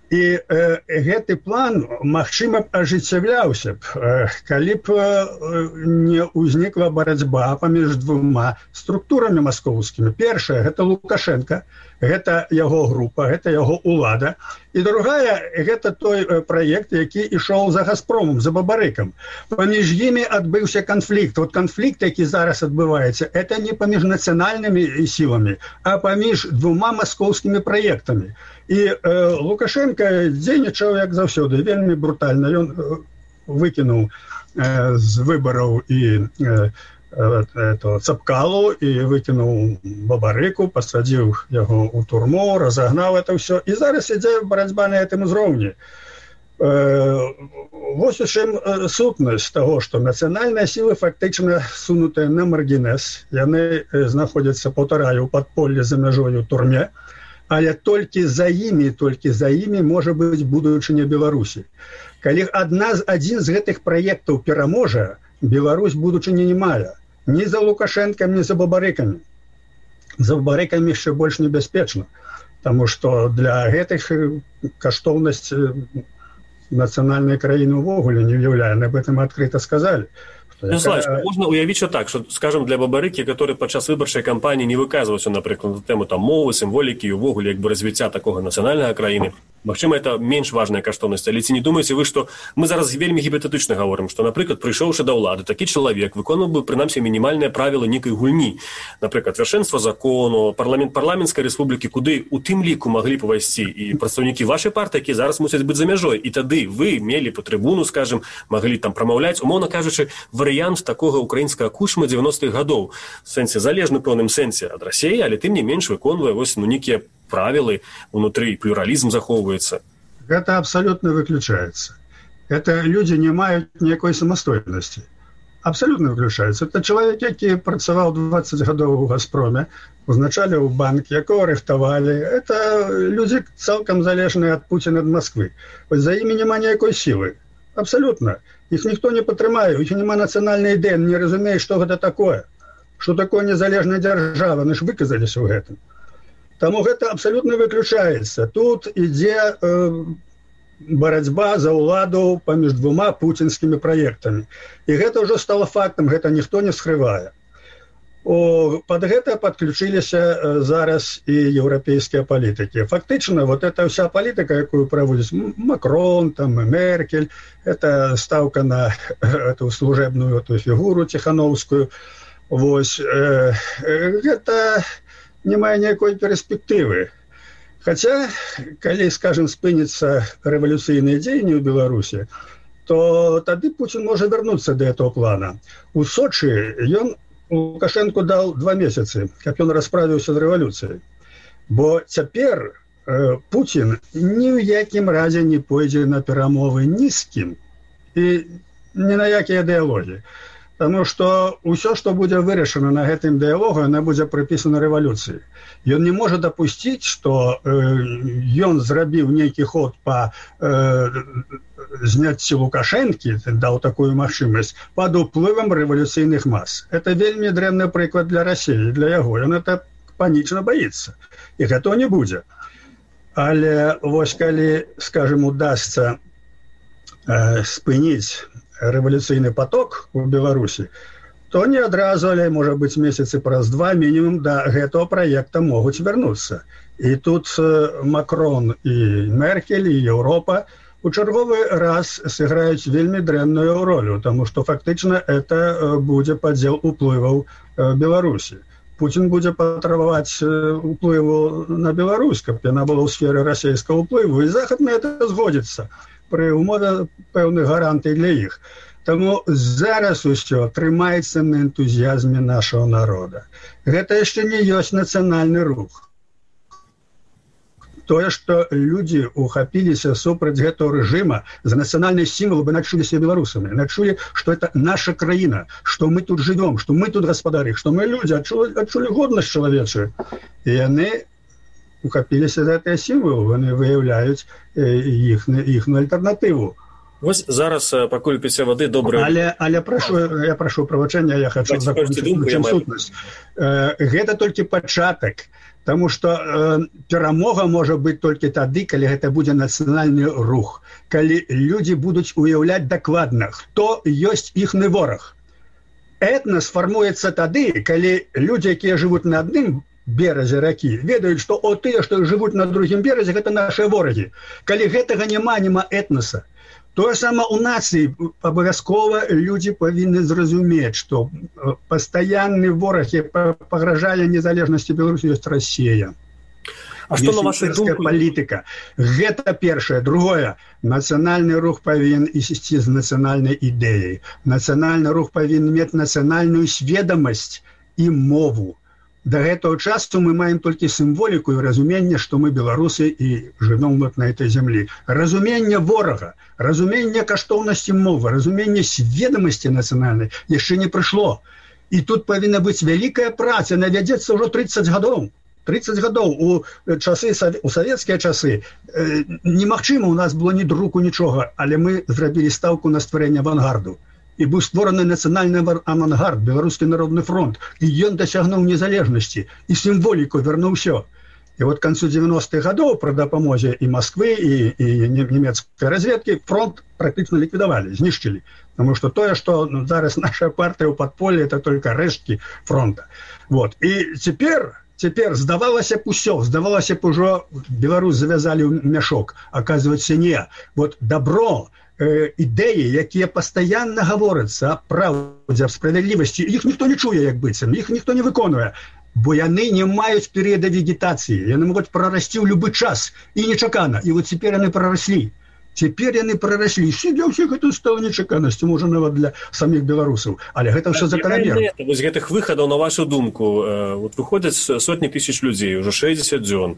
І э, гэты план, магчыма, б ажыццяўляўся б, э, калі б э, не ўзнікла барацьба паміж двума структурамі маскоўскімі. Першая – гэта Лукашенко, гэта яго група, гэта яго ўлада. І другая – гэта той э, праект, які ішоў за Газпромом, за Бабарыкам. Паміж імі адбыўся канфлікт. Вот канфлікт, які зараз адбываецца, это не паміж нацыянальнымі сіламі, а паміж двума маскоўскімі праектамі. І э, Лукашенко дзейнічаў, як заўсёды, вельмі брутальна. Ён э, выкінуў э, з выбараў і э, э, Цапкалу, і выкінуў Бабарыку, пасадзіў яго ў турму, разагнаў это ўсё. І зараз ідзе барацьба на гэтым узроўні. Э, вось у чым э, сутнасць таго, што нацыянальныя сілы фактычна сунутыя на маргінез. Яны э, знаходзяцца, паўтараю, у падполлі за мяжою ў турме. Але толькі за імі, толькі за імі можа быць будучыня Беларусі. Калі адна, адзін з гэтых праектаў пераможа, Беларусь будучыні не мае. Ні за Лукашэнкам, ні за Бабарыкамі. За Бабарыкамі яшчэ больш небяспечна, таму што для гэтых каштоўнасць нацыянальнай краіны ўвогуле не ўяўляе. Об этом адкрыта сказалі. Ярославович, можно уявить что так, что, скажем, для Бабарыкі, который падчас выбарчай кампаніі не выказваўся, напрыклад, на тэму там мовы, сімволікі і ўвогуле як бы развіцця такога нацыянальнага краіны, магчыма, это менш важная каштоўнасць, але ці не думаеце вы, што мы зараз вельмі гіпотетычна гаворым, што, напрыклад, прыйшоўшы да ўлады, такі чалавек выконваў бы, прынамсі, мінімальныя правілы нейкай гульні, напрыклад, вяршэнства закону, парламент парламенцкай рэспублікі, куды у тым ліку маглі б увайсці і прадстаўнікі вашай партыі, якія зараз мусяць быць за мяжой, і тады вы мелі па трыбуну, скажем, маглі там прамаўляць, умоўна кажучы, варыянт такога украінскага кушма дзевяностых гадоў, в сэнсе залежны пэўным сэнсе ад Расіі, але тым не менш выконвае вось ну нейкія правілы унутры, плюралізм захоўваецца. Гэта абсолютно выключаецца. Это люди не маюць ніякой самастойнасці. Абсолютно выключаецца. Это чалавек, які працаваў дваццаць гадоў у Газпроме, узначаліў банк, якого рыхтавалі. Это люди цалкам залежныя ад Пуціна, ад Москвы. Вось за імі няма ніякой сілы. Абсолютно. Их ніхто не падтрымае, у іх няма нацыянальнай ідэі, не разумее, што гэта такое. Што такое незалежная дзяржава, мы ж выказаліся ў гэтым. Таму гэта абсолютно выключаецца. Тут ідзе э, барацьба за ўладу паміж двума пуцінскімі праектамі. І гэта ўжо стала фактам, гэта ніхто не скрывае. О, под гэта подключиліся э, зараз і еўрапейскія палітыкі. Фактычна, вот эта вся палітыка, якую праводзіць Макрон, там, Меркель, это ставка на эту служебную эту фігуру Тихановскую. Вось, э, э, гэта не мае ніякой перспектывы. Хаця, калі, скажем, спыніцца рэвалюцыйныя дзеянні ў Беларусі, то тады Пуцін можа вярнуцца да этого плана. У Сочы ён Лукашенко дал два месяцы, каб ён расправіўся з рэвалюцыяй. Бо цяпер э, Пуцін ні ў якім разе не пойдзе на перамовы ні з кім і ні на якія дыялогі. Таму што ўсё, што будзе вырашана на гэтым дыялогу, яна будзе прыпісана рэвалюцыі. Ён не можа дапусціць, што э, ён зрабіў нейкі ход па э, зняцці Лукашэнкі, даў такую магчымасць, пад уплывам рэвалюцыйных мас. Это вельмі дрэнны прыклад для Расіі, для яго. Ён это панічна баіцца. І гэтага не будзе. Але вось калі, скажем, удасца э, спыніць рэвалюцыйны поток у Беларусі, то не адразу, але, можа быць, месяцы праз два мінімум да гэтага праекта могуць вярнуцца. І тут Макрон і Меркель, і Еўропа у чарговы раз сыграюць вельмі дрэнную ролю, таму што фактычна это будзе падзел уплываў Беларусі. Пуцін будзе патрабаваць уплыву на Беларусь, каб яна была ў сферы расійскага ўплыву, і Захад на это згодзіцца пры умове пэўных гарантый для іх. Таму зараз усё трымаецца на энтузіязме нашага народа. Гэта яшчэ не ёсць нацыянальны рух. тое, што людзі ухапіліся супраць гэтага рэжыма за нацыянальныя сімвалы, бы начулі себе беларусамі, начулі, што это наша краіна, што мы тут жывём, што мы тут гаспадары, што мы людзі, адчулі, адчулі годнасць чалавечую. І яны ухапіліся за гэтыя сімвалы, яны выяўляюць іхную альтэрнатыву. Вось зараз, пакуль піце вады, добрая... Але, але прашу, я прашу прабачэння, я хочу закончыць сутнасць. Гэта толькі пачатак, таму што э, перамога можа быць толькі тады, калі гэта будзе нацыянальны рух, калі людзі будуць уяўляць дакладна, хто ёсць іхны вораг. Этнас фармуецца тады, калі людзі, якія жывуць на адным беразе ракі, ведаюць, што о тыя, што жывуць на другім беразе, гэта нашыя ворагі. Калі гэтага няма, няма этнаса. Тое сама у нацыі, абавязкова людзі павінны зразумець, што пастаянны вораг, які пагражае незалежнасці Беларусі, ёсць Расія. А што на вашу думку? Палітыка. Гэта першае. Другое. Нацыянальны рух павінен ісці з нацыянальнай ідэяй. Нацыянальны рух павінен мець нацыянальную сведамасць і мову. До гэтага часу мы маем толькі сімволіку і разуменне, што мы беларусы і жывём на этой зямлі. Разуменне ворага, разуменне каштоўнасці мовы, разуменне сведамасці нацыянальнай яшчэ не прыйшло. І тут павінна быць вялікая праца, яна вядзецца ўжо трыццаць гадоў. трыццаць гадоў у часы, у савецкія часы немагчыма, у нас было ні друку, нічога, але мы зрабілі стаўку на стварэнне авангарду. І быў створаны нацыянальны авангард, Беларускі народны фронт, і ён дасягнуў незалежнасці, і сімволіку вярнуў усё. І вот к канцу дзевяностых гадоў пры дапамозе і Масквы, і, і нямецкай разведкі фронт практычна ліквідавалі, знішчылі. Таму што тое, што ну, зараз наша партыя ў падполлі, это толькі рэшткі фронта. Вот. І цяпер, цяпер здавалася б усё, здавалася б ужо Беларусь завязалі ў мяшок. Аказваецца, не. Вот добро, ідэі, якія пастаянна гаворацца аб праўдзе, аб справядлівасці, іх ніхто не чуе, як быццам, іх ніхто не выконвае, бо яны не маюць перыяда вегетацыі, яны могуць прарасці ў любы час, і нечакана, і вот цяпер яны прараслі. Цяпер яны прараслі, і для ўсіх гэта стала нечаканасцю, можа, нават для саміх беларусаў, але гэта ўсё заканамерна. Вось гэтых выхадаў, на вашу думку, вот выходзяць сотні тысяч людзей, ужо шэсцьдзесят дзён,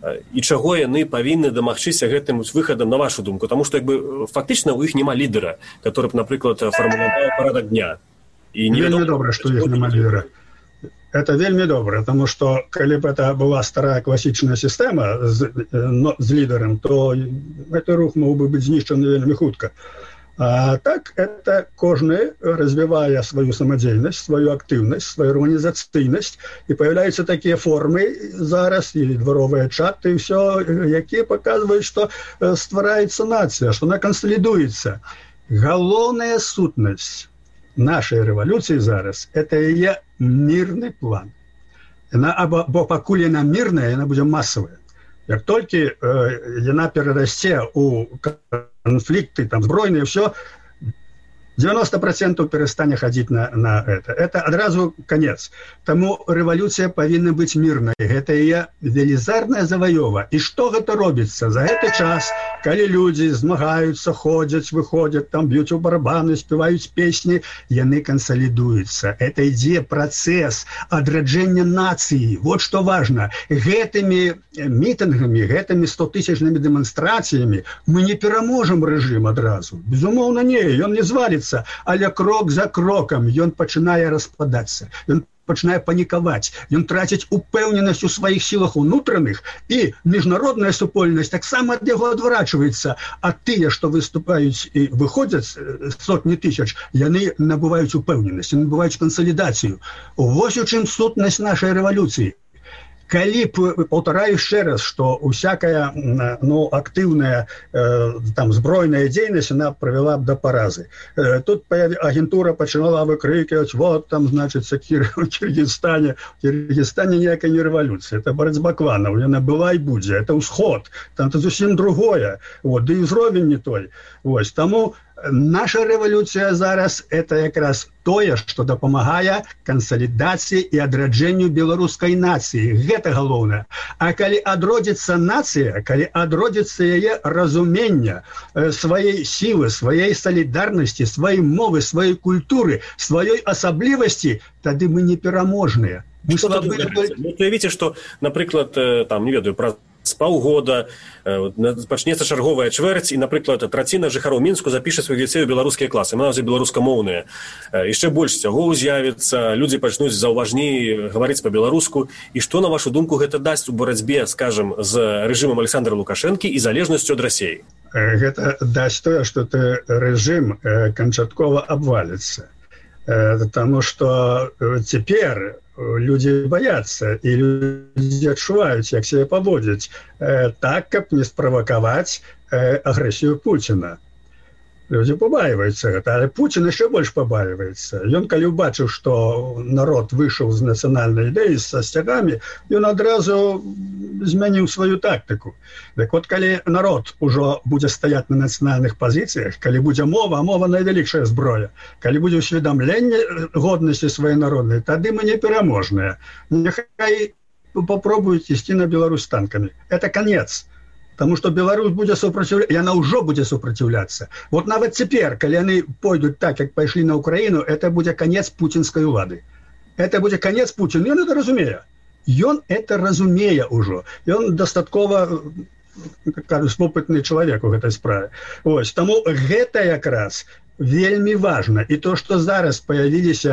і чаго яны павінны дамагчыся гэтым выхадам, на вашу думку? Таму што як бы фактычна ў іх няма лідара, который б, напрыклад, фармуляваў парадак дня. І вельмі добра, што іх няма лідара. Это вельмі добра, таму што калі б это была старая класічная сістэма з, но, з лідарам, то гэты рух мог бы быць знішчаны вельмі хутка. А так, это кожны развівае сваю самадзейнасць, сваю актыўнасць, сваю арганізацыйнасць, і паявляюцца такія формы зараз, і дваровыя чаты, і ўсё, якія паказваюць, што ствараецца нацыя, што она кансалідуецца. Галоўная сутнасць нашай рэвалюцыі зараз – это яе мірны план. Яна, або, бо пакуль яна мірная, яна будзе масавая. Як толькі э, яна перарасце ў конфликты, там, збройные, все, девяносто процентов перестане ходить на, на это. Это одразу конец. Тому революция повинна быть мирной. Это ее велизарная завоева. И что это робится? За этот час, когда люди змагаются, ходят, выходят, там бьют у барабаны, спевают песни, яны консолидуются. Это идея, процесс адраджения нации. Вот что важно. Гэтыми митингами, гэтыми стотысячными демонстрациями мы не пераможем режим одразу. Безумовно, не. Он не звалится. Але крок за кроком ён пачынае распадацца, ён пачынае панікаваць, ён траціць упэўненасць у сваіх сілах унутраных, і міжнародная супольнасць таксама ад яго адварачваецца, а тыя, што выступаюць і выходзяць сотні тысяч, яны набываюць упэўненасць, яны набываюць кансалідацыю. Вось у чым сутнасць нашай рэвалюцыі. Калі б, паўтараю яшчэ раз, што усякая ну, актыўная э, там, збройная дзейнасць она правяла б да паразы. Э, тут агентура пачынала выкрыкивать, вот там, значит, в Киргизстане. В Киргизстане ніякая не рэвалюцыя, это барацьба кланаў, яна была і будзе, это ўсход, там это зусім другое, вот, да і ўзровень не той. Вось, таму наша рэвалюцыя зараз это якраз тое, што дапамагае кансалідацыі і адраджэнню беларускай нацыі. Гэта галоўнае. А калі адродзіцца нацыя, калі адродзіцца яе разуменне сваёй сілы, сваёй салідарнасці, сваёй мовы, сваёй культуры, сваёй асаблівасці, тады мы непераможныя. Вы уявіце, што, напрыклад, там, не ведаю, праз з паўгода пачнецца чарговая чвэрць, і, напрыклад, траціна жыхароў Мінску запіша сваіх дзяцей у беларускія класы, нават беларускамоўныя. Яшчэ больш сцягоў з'явіцца, людзі пачнуць заўважней гаварыць па-беларуску. І што, на вашу думку, гэта дасць у барацьбе, скажам, з рэжымам Александра Лукашэнкі і залежнасцю ад Расіі? Гэта дасць тое, што ты рэжым канчаткова абваліцца. Таму што цяпер людзі баяцца, і людзі адчуваюць, як сябе паводзіць, так, каб не справакаваць агрэсію Пуціна. Людзі пабаиваюцца гэта, але Пуцін яшчэ больш пабаиваецца. Ён, калі ўбачыў, што народ выйшаў з нацыянальнай ідэі са сцягамі, ён адразу змяніў сваю тактыку. Так вот, калі народ ужо будзе стаяць на нацыянальных пазіцыях, калі будзе мова, а мова найвялікшая зброя, калі будзе ўсведамленне годнасці сваёй народнай, тады мы не пераможныя. Няхай попробуюць ісці на Беларусь танкамі. Это конец. Потому что Беларусь будет сопротивляться, и она уже будет сопротивляться. Вот нават цяпер, калі они пойдут так, как пошли на Украину, это будет конец путинской улады. Это будет конец Путина. И он это разумея. И он это разумея уже. И он достатково, как кажуть, опытный человек в этой справе. Ось, тому гэта якраз вельми важно. И то, что зараз появились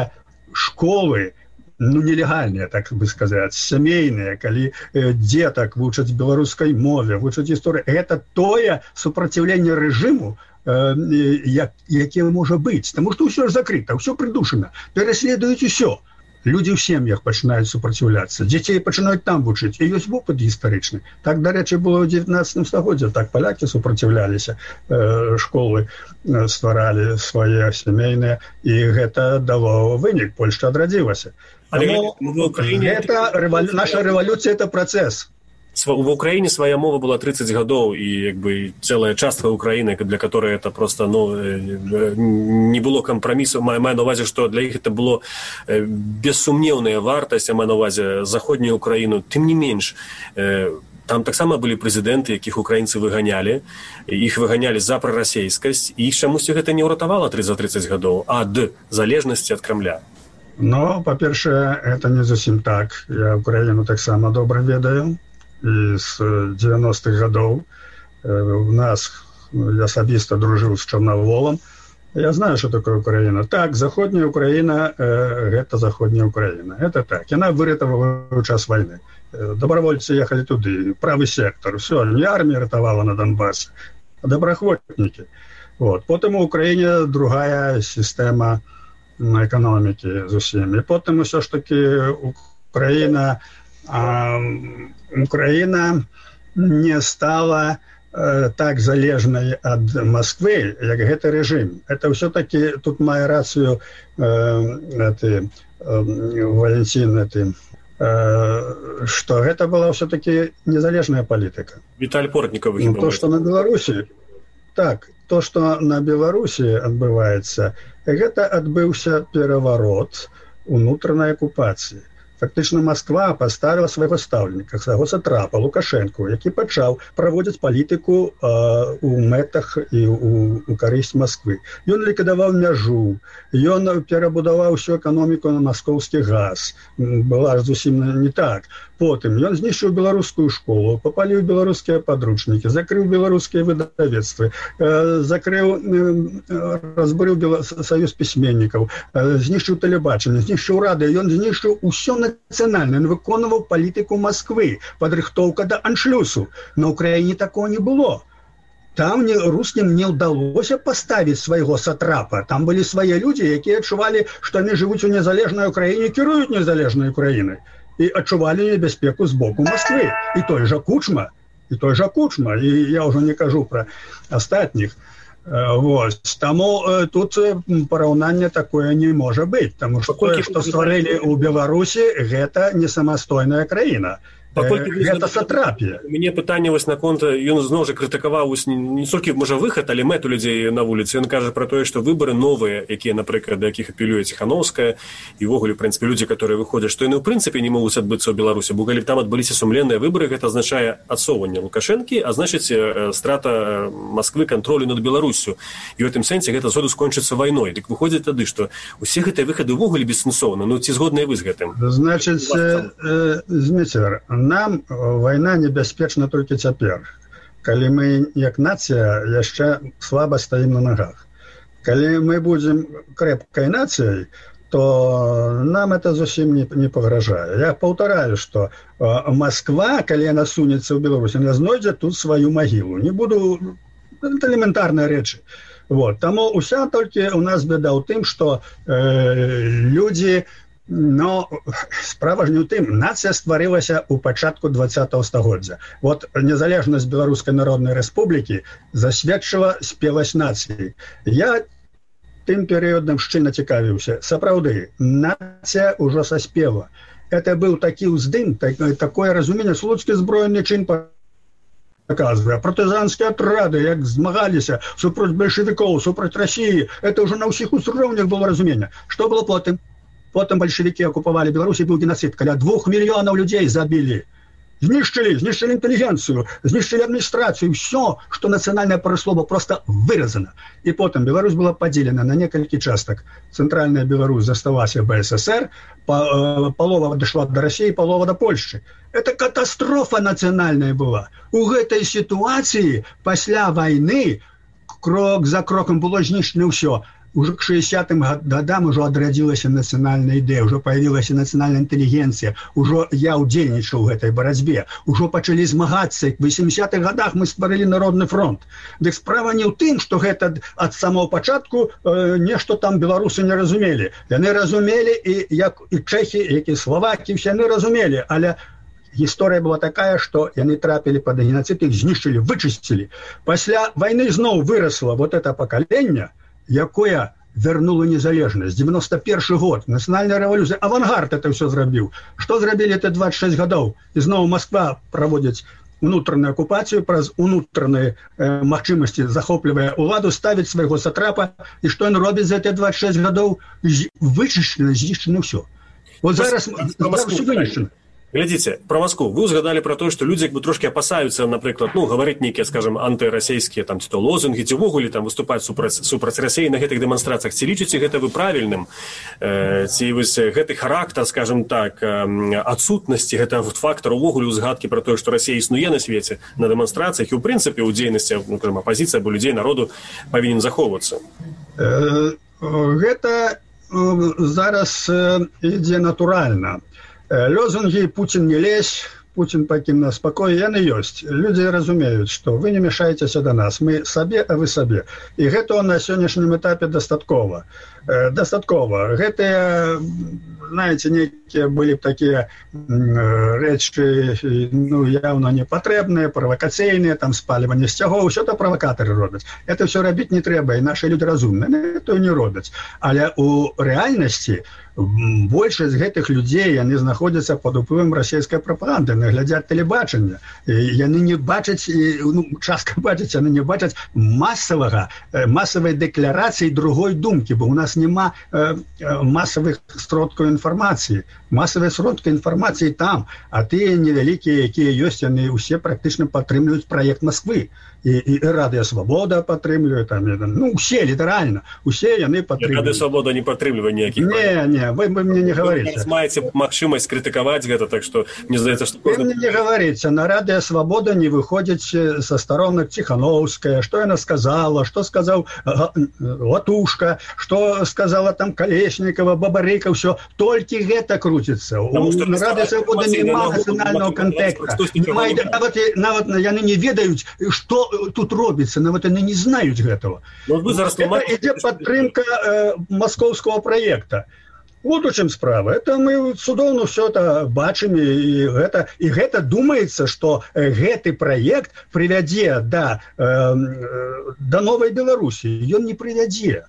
школы, ну, нелегальныя, так бы сказаць, сямейныя, калі э, дзетак вучаць беларускай мове, вучаць гісторыю. Гэта тое супраціўленне рэжыму, э, як, яке можа быць. Таму што ўсё ж закрыта, ўсё прыдушана. Пераследуюць усё. Людзі ў сем'ях пачынаюць супраціўляцца. Дзяцей пачынаюць там вучыць. І ёсць вопыт гістарычны. Так, дарэчы, было ў дзевятнаццатым стагоддзі. Так палякі супраціўляліся, э, школы э, стваралі свае сямейныя. І гэта дало вынік. Польшча адрадзілася. Але в Украине... это револю... наша рэвалюцыя это працэс. В Украине своя мова была тридцать гадоў, і як бы целая частка Украины, для которой это просто ну, не было компромиссу. Маю на увазе, что для іх это было бессумнеўная вартасць, а маю на увазе заходнюю Украину. Тым не менш, там таксама былі прэзідэнты, якіх украінцы выганялі, іх выганялі за прарасейскасць, і іх чамусьці гэта не ўратавала за тридцать гадоў ад залежнасці ад Крамля. Но, па-першае, это не зусім так. Я Украіну таксама добра ведаю. І з девяностых гадоў у нас, я асабіста дружыў з Чорноволом. Я знаю, что такое Украина. Так, заходняя Украина э, – это заходняя Украина. Это так. Яна выратавала ў час войны. Добровольцы ехали туды, правый сектор. Все, не армия ратавала на Донбассе, а добраахвотнікі. Вот. Потым у Украине другая система экономики зусім. И потым все ж таки Украина, а, Украина не стала э, так залежной от Москвы, как это режим. Это все-таки, тут маю рацию э, это, э, Валентин, это, э, что это была все-таки незалежная политика. Виталий Портников. Ну, то, что на Беларуси, так, то, что на Беларуси отбывается, это отбылся переворот внутренней оккупации. Фактично Москва поставила свайго стаўленіка, свайго сатрапа Лукашэнку, які пачаў праводзіць палітыку э, у мэтах і у, у карысць Москвы. Ён ліквідаваў мяжу, ён перабудаваў усю эканоміку на маскоўскі газ. Была ж зусім не так. Потым ён знішчыў беларускую школу, папаліў беларускія падручнікі, закрыў беларускія выдавецтвы, э, закрыў, э, разбурыў Бела... саюз пісьменнікаў, э, знішчыў тэлебачанне, знішчыў рады, ён знішчыў усё на национально, он выконывал политику Москвы, подрыхтовка до аншлюсу. На Украине такого не было. Там не, русским не удалось поставить своего сатрапа. Там были свои люди, которые отчували, что они живут в незалежной Украине, керуют незалежной Украиной. И отчували небезпеку сбоку Москвы. И той же Кучма, и той же Кучма. И я уже не кажу про остальных. Вот. Тому э, тут параўнання такое не можа быць, таму што тое, што стварылі ў Беларусі, гэта не самастойная краіна. Гэта сатрапія. У мяне пытанне вось наконт, ён зноў жа крытыкаваў не толькі можа выхад, але мэту людзей на вуліцы. Ён кажа пра тое, што выбары новыя, якія, напрыклад, да якіх апелюе Ціханаўская, і ўвогуле, ў прынцыпе, людзі, которые выходзяць, што яны ў прынцыпе не могуць адбыцца ў Беларусі, бо калі там адбыліся сумленныя выбары, гэта азначае адсоўванне Лукашэнкі, а значыць страта Масквы кантролю над Беларусю. І ў гэтым сэнсе гэта згоду скончыцца вайной. Дык выходзіць тады, што усе гэтыя выхады ўвогуле бессэнсоўны. Ну ці згодныя вы з гэтым? Значыць, э, Зміцер, нам вайна небяспечна толькі цяпер, калі мы як нацыя яшчэ слаба стаім на нагах. Калі мы будзем крэпкай нацыяй, то нам это зусім не, не пагражае. Я паўтараю, што Москва, калі яна сунецца ў Беларусь, яна знойдзе тут сваю магілу. Не буду... Это элементарныя рэчы. Вот. Таму уся толькі у нас беда ў тым, што э, людзі, но справа ж не ў тым, нацыя стварылася ў пачатку двадцатага стагоддзя. Вот незалежнасць Беларускай Народнай Рэспублікі засведчыла спеласць нацыі. Я тым перыядам шчыльна цікавіўся. Сапраўды, нацыя ўжо саспела. Это быў такі ўздым, так, такое разуменне, слуцкі зброены чин показывая, партизанские отряды, як змагаліся супроць большевиков, супроць России, это уже на ўсіх узроўнях было разумение. Что было потым? Потым большевики оккупавалі Беларусь, был геноцид, каля двух миллионов людей забили. Знішчылі, знішчылі інтэлігенцыю, знішчылі адміністрацыю, все, што нацыянальнае параслова просто выразана. І потым Беларусь была падзелена на некалькі частак. Цэнтральная Беларусь заставалася бэ эс эс эр, палова дайшла да России, палова да Польшчы. Это катастрофа нацыянальная была. У гэтай сітуацыі пасля вайны крок за кроком было знішчана ўсё. Уже к шестидесятым годам уже адрадзілася нацыянальная ідэя, уже появілася нацыянальная інтэлігенцыя, уже я ўдзельнічаў у гэтай барацьбе, уже пачалі змагацца. В восьмидесятых годах мы стварылі Народны фронт. Дык справа не ў тым, што гэта ад самого пачатку э, нешта там беларусы не разумелі. Яны разумелі і як і чэхі, як і славакі, все яны разумелі, але гісторыя была такая, што яны трапілі пад геноцид, іх знішчылі, вычысцілі. Пасля вайны зноў вырасла вот это пакаленне, якое вернуло незалежнасць. девяносто первый год, нацыянальная рэвалюцыя, авангард это все зрабіў. Што зрабілі это двадцать шесть гадоў? І зноў Москва праводзіць унутраную акупацыю, праз унутраныя э, магчымасці захоплівае уладу, ставіць свайго сатрапа, і што ён робіць за эти двадцать шесть гадоў? Вычышчана, знішчана ўсё. Вот зараз ўсё вынішчана. Глядзіце, про Москву. Вы узгадалі про тое, што людзі як бы трошки апасаюцца, напрыклад, ну, гаварыць нейкія, скажем, антырасійскія там ці то лозунгі, ці ўвогуле там выступаць супраць супраць Расіі на гэтых дэманстрацыях. Ці лічыце гэта вы правільным? Э, ці вось гэты характар, скажем так, э, адсутнасці гэтага фактара ўвогуле ўзгадкі про тое, што Расія існуе на свеце на дэманстрацыях і ў прынцыпе ў дзейнасці, ну, скажем, апазіцыя або людзей народу павінен захоўвацца? Э, гэта э, зараз э, ідзе натуральна. Лозунги «Путин не лезь», «Путин покинь нас в покое», яны ёсць. Люди разумеюць, што вы не мешаетеся до нас, мы сабе, а вы сабе. І гэта на сённяшнім этапе дастаткова. Э, дастаткова. Гэтыя, знаете, некие были б такие э, рэчы, ну, явно непотребные, провокацыйныя, там спаливание сцягоў, усё это провокаторы робяць. Это все рабіць не трэба, і наши люди разумныя, это не робяць. Але у рэальнасці большасць гэтых людзей, яны знаходзяцца пад уплывам расійскай прапаганды, яны глядзяць тэлебачанне, яны не бачаць, ну, частка бачаць, яны не бачаць масавага, масавай дэкларацыі другой думкі, бо у нас няма э, масавых сродкаў інфармацыі. Масавыя сродкі інфармацыі там, а тыя невялікія, якія ёсць, яны ўсе практычна падтрымліваюць праект Москвы. І, і Радыё Свабода падтрымлівае, там, ну, усе, літаральна, усе яны падтрымліваюць. Радыё Свабода не падтрымлівае ніякіх. Не, не, вы, вы мне не говорите. Вы маеце магчымасць крытыкаваць гэта, так што мне здаецца, што... Вы мне не говорите, на Радыё Свабода не выходзіць са старонак Ціхановская, што яна сказала, што сказаў Латушка, што сказала там Калеснікова, Бабарыка, ўсё, толькі гэта крутіцца. На Радыё Свабода няма нацыянальнага контекста. Нават, нават яны не ведаюць, што тут робіцца, нават яны не знаюць гэтага. Это ідзе падтрымка э, маскоўскага праекта. Вот у чым справа. Это мы цудоўна ўсё это бачым, і гэта, і гэта думаецца, што гэты праект прывядзе да, э, да новай Беларусі. Ён не прывядзе.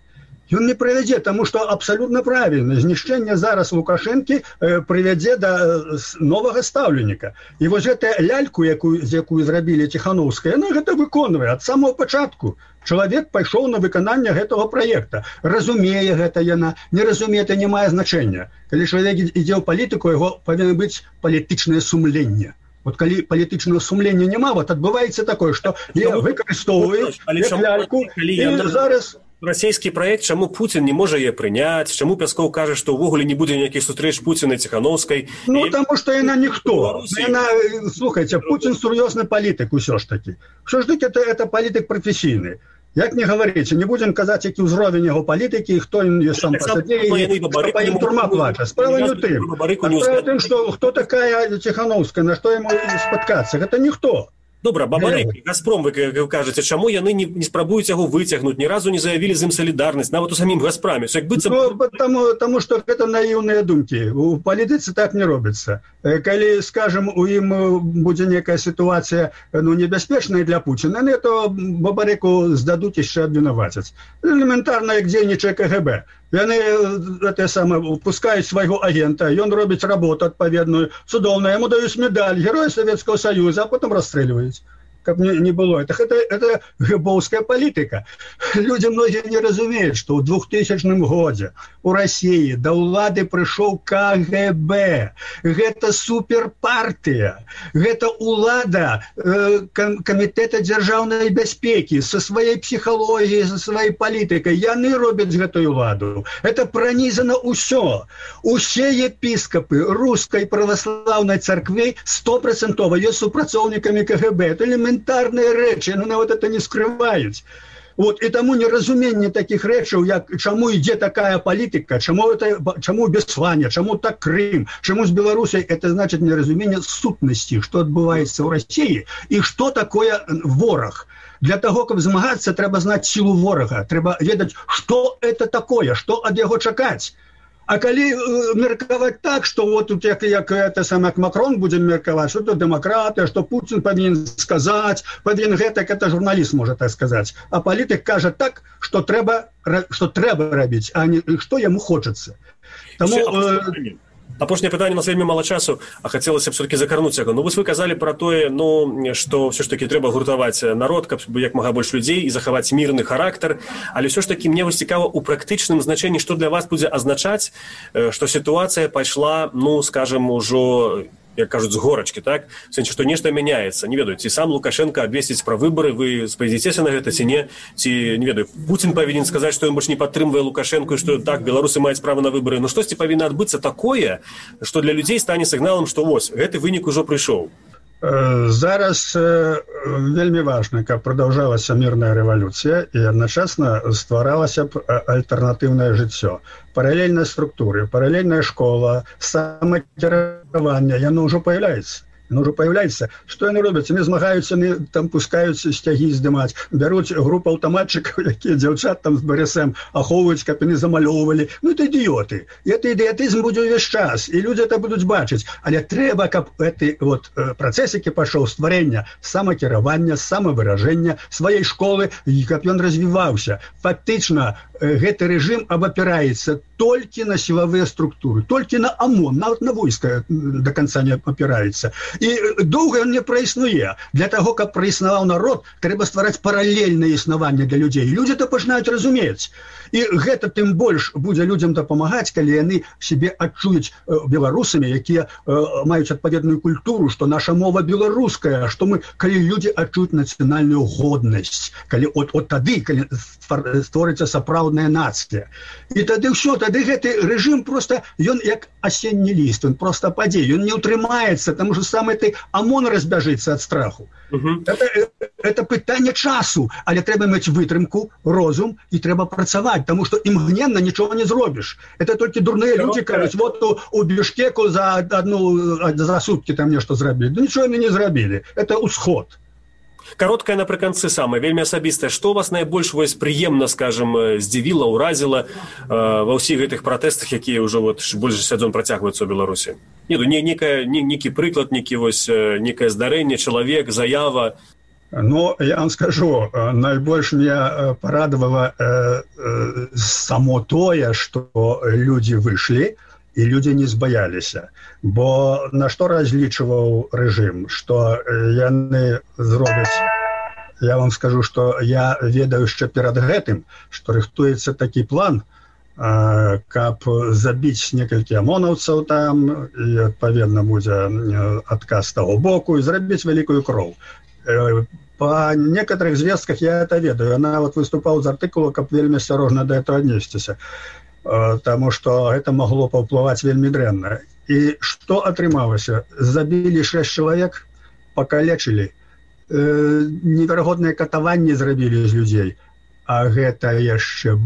Ён не прывядзе, таму што абсалютна правільна. Знішчэнне зараз Лукашэнкі э, прывядзе да новага стаўленіка. І вось гэтая ляльку, якую, з якую зрабілі Ціхановская, яна гэта выконвае ад самого пачатку. Чалавек пайшоў на выкананне гэтага праекта. Разумее гэта яна, не разумее, это не мае значэння. Калі чалавек ідзе ў палітыку, яго павінна быць палітычнае сумленне. Вот калі палітычнага сумлення няма, вот адбываецца такое, што выкарыстоўваюць ляльку, і зараз... расійскі праект, чаму Пуцін не можа яе прыняць, чаму Пяскоў кажа, што ўвогуле не будзе ніякіх сустрэч Пуціна і Ціханаўскай. Ну, і... таму што яна ніхто. Яна, слухайце, Пуцін сур'ёзны палітык усё ж такі. Усё ж такі это, это палітык прафесійны. Як не говорите, не будем казаць, які ўзровень яго палітыкі і хто ён сам па сабе, і што па ім турма плача. Справа не ў тым. Справа ў тым, што хто такая Ціханаўская, на што яму спаткацца. Гэта ніхто. Добра, Бабарык, Газпром, вы, вы кажаце, чаму яны не, не спрабуюць яго выцягнуць, ні разу не заявілі з ім салідарнасць, нават у самім Газпраме. Як быццам... Ну, таму, таму што гэта наіўныя думкі. У палітыцы так не робіцца. Калі, скажем, у ім будзе некая сітуацыя, ну, небяспечная для Пуціна, то Бабарыку здадуць яшчэ абвінавацяць. Элементарна, як дзейнічае ка гэ бэ. Яны это самае пускаюць свайго агента, ён робіць работу адпаведную, цудоўна, яму даюць медаль Героя Савецкага Саюза, а потым расстрэльваюць. Каб не, не было. Это, это, это гэбоўская палітыка. Людзі многія не разумеюць, што ў двухтысячным годзе у Расіі да ўлады прыйшоў ка гэ бэ. Гэта суперпартыя. Гэта ўлада э, камітэта дзяржаўнай бяспекі са сваёй псіхалогіяй, са сваёй палітыкай. Яны робяць гэтую ўладу. Это пранізана ўсё. Усе епіскапы рускай праваслаўнай царквы стопроцентова ёсць супрацоўнікамі ка гэ бэ. Это элементарные рэчы, но нават это не скрываюць. Вот, і таму неразуменне такіх рэчаў, як чаму ідзе такая палітыка, чаму, это, чаму Беслане, чаму так Крым, чаму з Беларусяй, это значит неразуменне сутнасці, што адбываецца ў Расіі і што такое вораг. Для таго, каб змагацца, трэба знаць сілу ворага, трэба ведаць, што это такое, што ад яго чакаць. А калі э, меркаваць так, што вот тут як, як это саме Макрон будзе меркаваць, што тут дэмакратыя, што Пуцін павінен сказаць, павінен гэтак, это журналіст можа так сказаць. А палітык кажа так, што трэба, што трэба рабіць, а не што яму хочацца. Таму... Э, Апошняе пытанне, у нас вельмі мала часу, а хацелася б все-таки закарнуць яго. Ну, вось вы казалі пра тое, ну, што все ж таки трэба гуртаваць народ, каб як мага больш людзей і захаваць мірны характар, але все ж таки мне вось цікава у практычным значэнні, што для вас будзе азначаць, што сітуацыя пайшла, ну, скажем, ужо, як кажуць, з горачкі, так? В сэнсе, што нешта мяняецца. Не ведаю, ці сам Лукашенко абвесціць пра выбары, вы спадзіцеся на гэта, ці не? Ці, не ведаю, Пуцін павінен сказаць, што ён больш не падтрымвае Лукашенко, і што так, беларусы маюць права на выбары. Ну, штосьці павінна адбыцца такое, што для людзей стане сігналам, што вось, гэты вынік ужо прыйшоў. Зараз вельмі важна, каб прадаўжалася мірная рэвалюцыя і адначасна стваралася б альтэрнатыўнае жыццё. Паралельныя структуры, паралельная школа, самакіраванне, яно ўжо паявляецца. Яно ўжо паявляецца. Што яны робяць? Яны змагаюцца, яны там пускаюць сцягі здымаць, бяруць групу аўтаматчыкаў, якія дзяўчат там з БРСМ ахоўваюць, каб яны замалёўвалі. Ну, это ідыёты. І это ідыятызм будзе ўвесь час, і людзі это будуць бачыць. Але трэба, каб гэты вот, працэс, які пашоў стварэння самакіравання, самавыражэння сваёй школы, і каб ён развіваўся. Фактычна, гэты рэжым абапіраецца толькі на сілавыя структуры, толькі на ОМОН, нават на войска до конца не апіраецца. І доўга ён не праіснуе. Для таго, каб праіснаваў народ, трэба ствараць паралельнае існаванне для людзей. Людзі то пачынаюць разумець. І гэта тым больш будзе людзям дапамагаць, калі яны сябе адчуюць беларусамі, якія маюць адпаведную культуру, што наша мова беларуская, што мы, калі людзі адчуюць нацыянальную годнасць, калі от, от тады, калі створыцца сапраўдная нацыя. І тады ўсё, тады гэты рэжым просто, ён як асенні ліст, ён просто падзе, ён не ўтрымаецца, таму што сам гэты ОМОН разбяжыцца ад страху. Uh-huh. Это, это пытанне часу, але трэба мець вытрымку, розум і трэба працаваць, таму што імгненна нічога не зробіш. Это толькі дурныя людзі кажуць, вот у, у Бішкеку за одну за суткі там нешта зрабілі. Да нічога яны не зрабілі. Это ўсход. Кароткае напрыканцы самае, вельмі асабістае. Што вас найбольш вось прыемна, скажем, здзівіла, ўразіла э, ва ўсіх гэтых пратэстах, якія ўжо вот больш за дзён працягваюцца ў Беларусі? Не, не, некая, не, некі прыклад, некі вось некае здарэнне, чалавек, заява. Ну, я вам скажу, найбольш меня порадовало э, э, само тое, што людзі выйшлі, і людзі не збаяліся. Бо на што разлічваў рэжым, што яны зробяць, я вам скажу, што я ведаю яшчэ перад гэтым, што рыхтуецца такі план, э, каб забіць некалькі амонаўцаў там, і адпаведна будзе адказ з таго боку, і зрабіць вялікую кроў. Э, по некоторых звестках я это ведаю. Она вот выступала з артыкула, каб вельмі асцярожна да этого аднесціся. Таму што гэта магло паўплываць вельмі дрэнна. І што атрымалася? Забілі шэсць чалавек, пакалечылі, неверагодныя катаванні зрабілі з людзей, а гэта яшчэ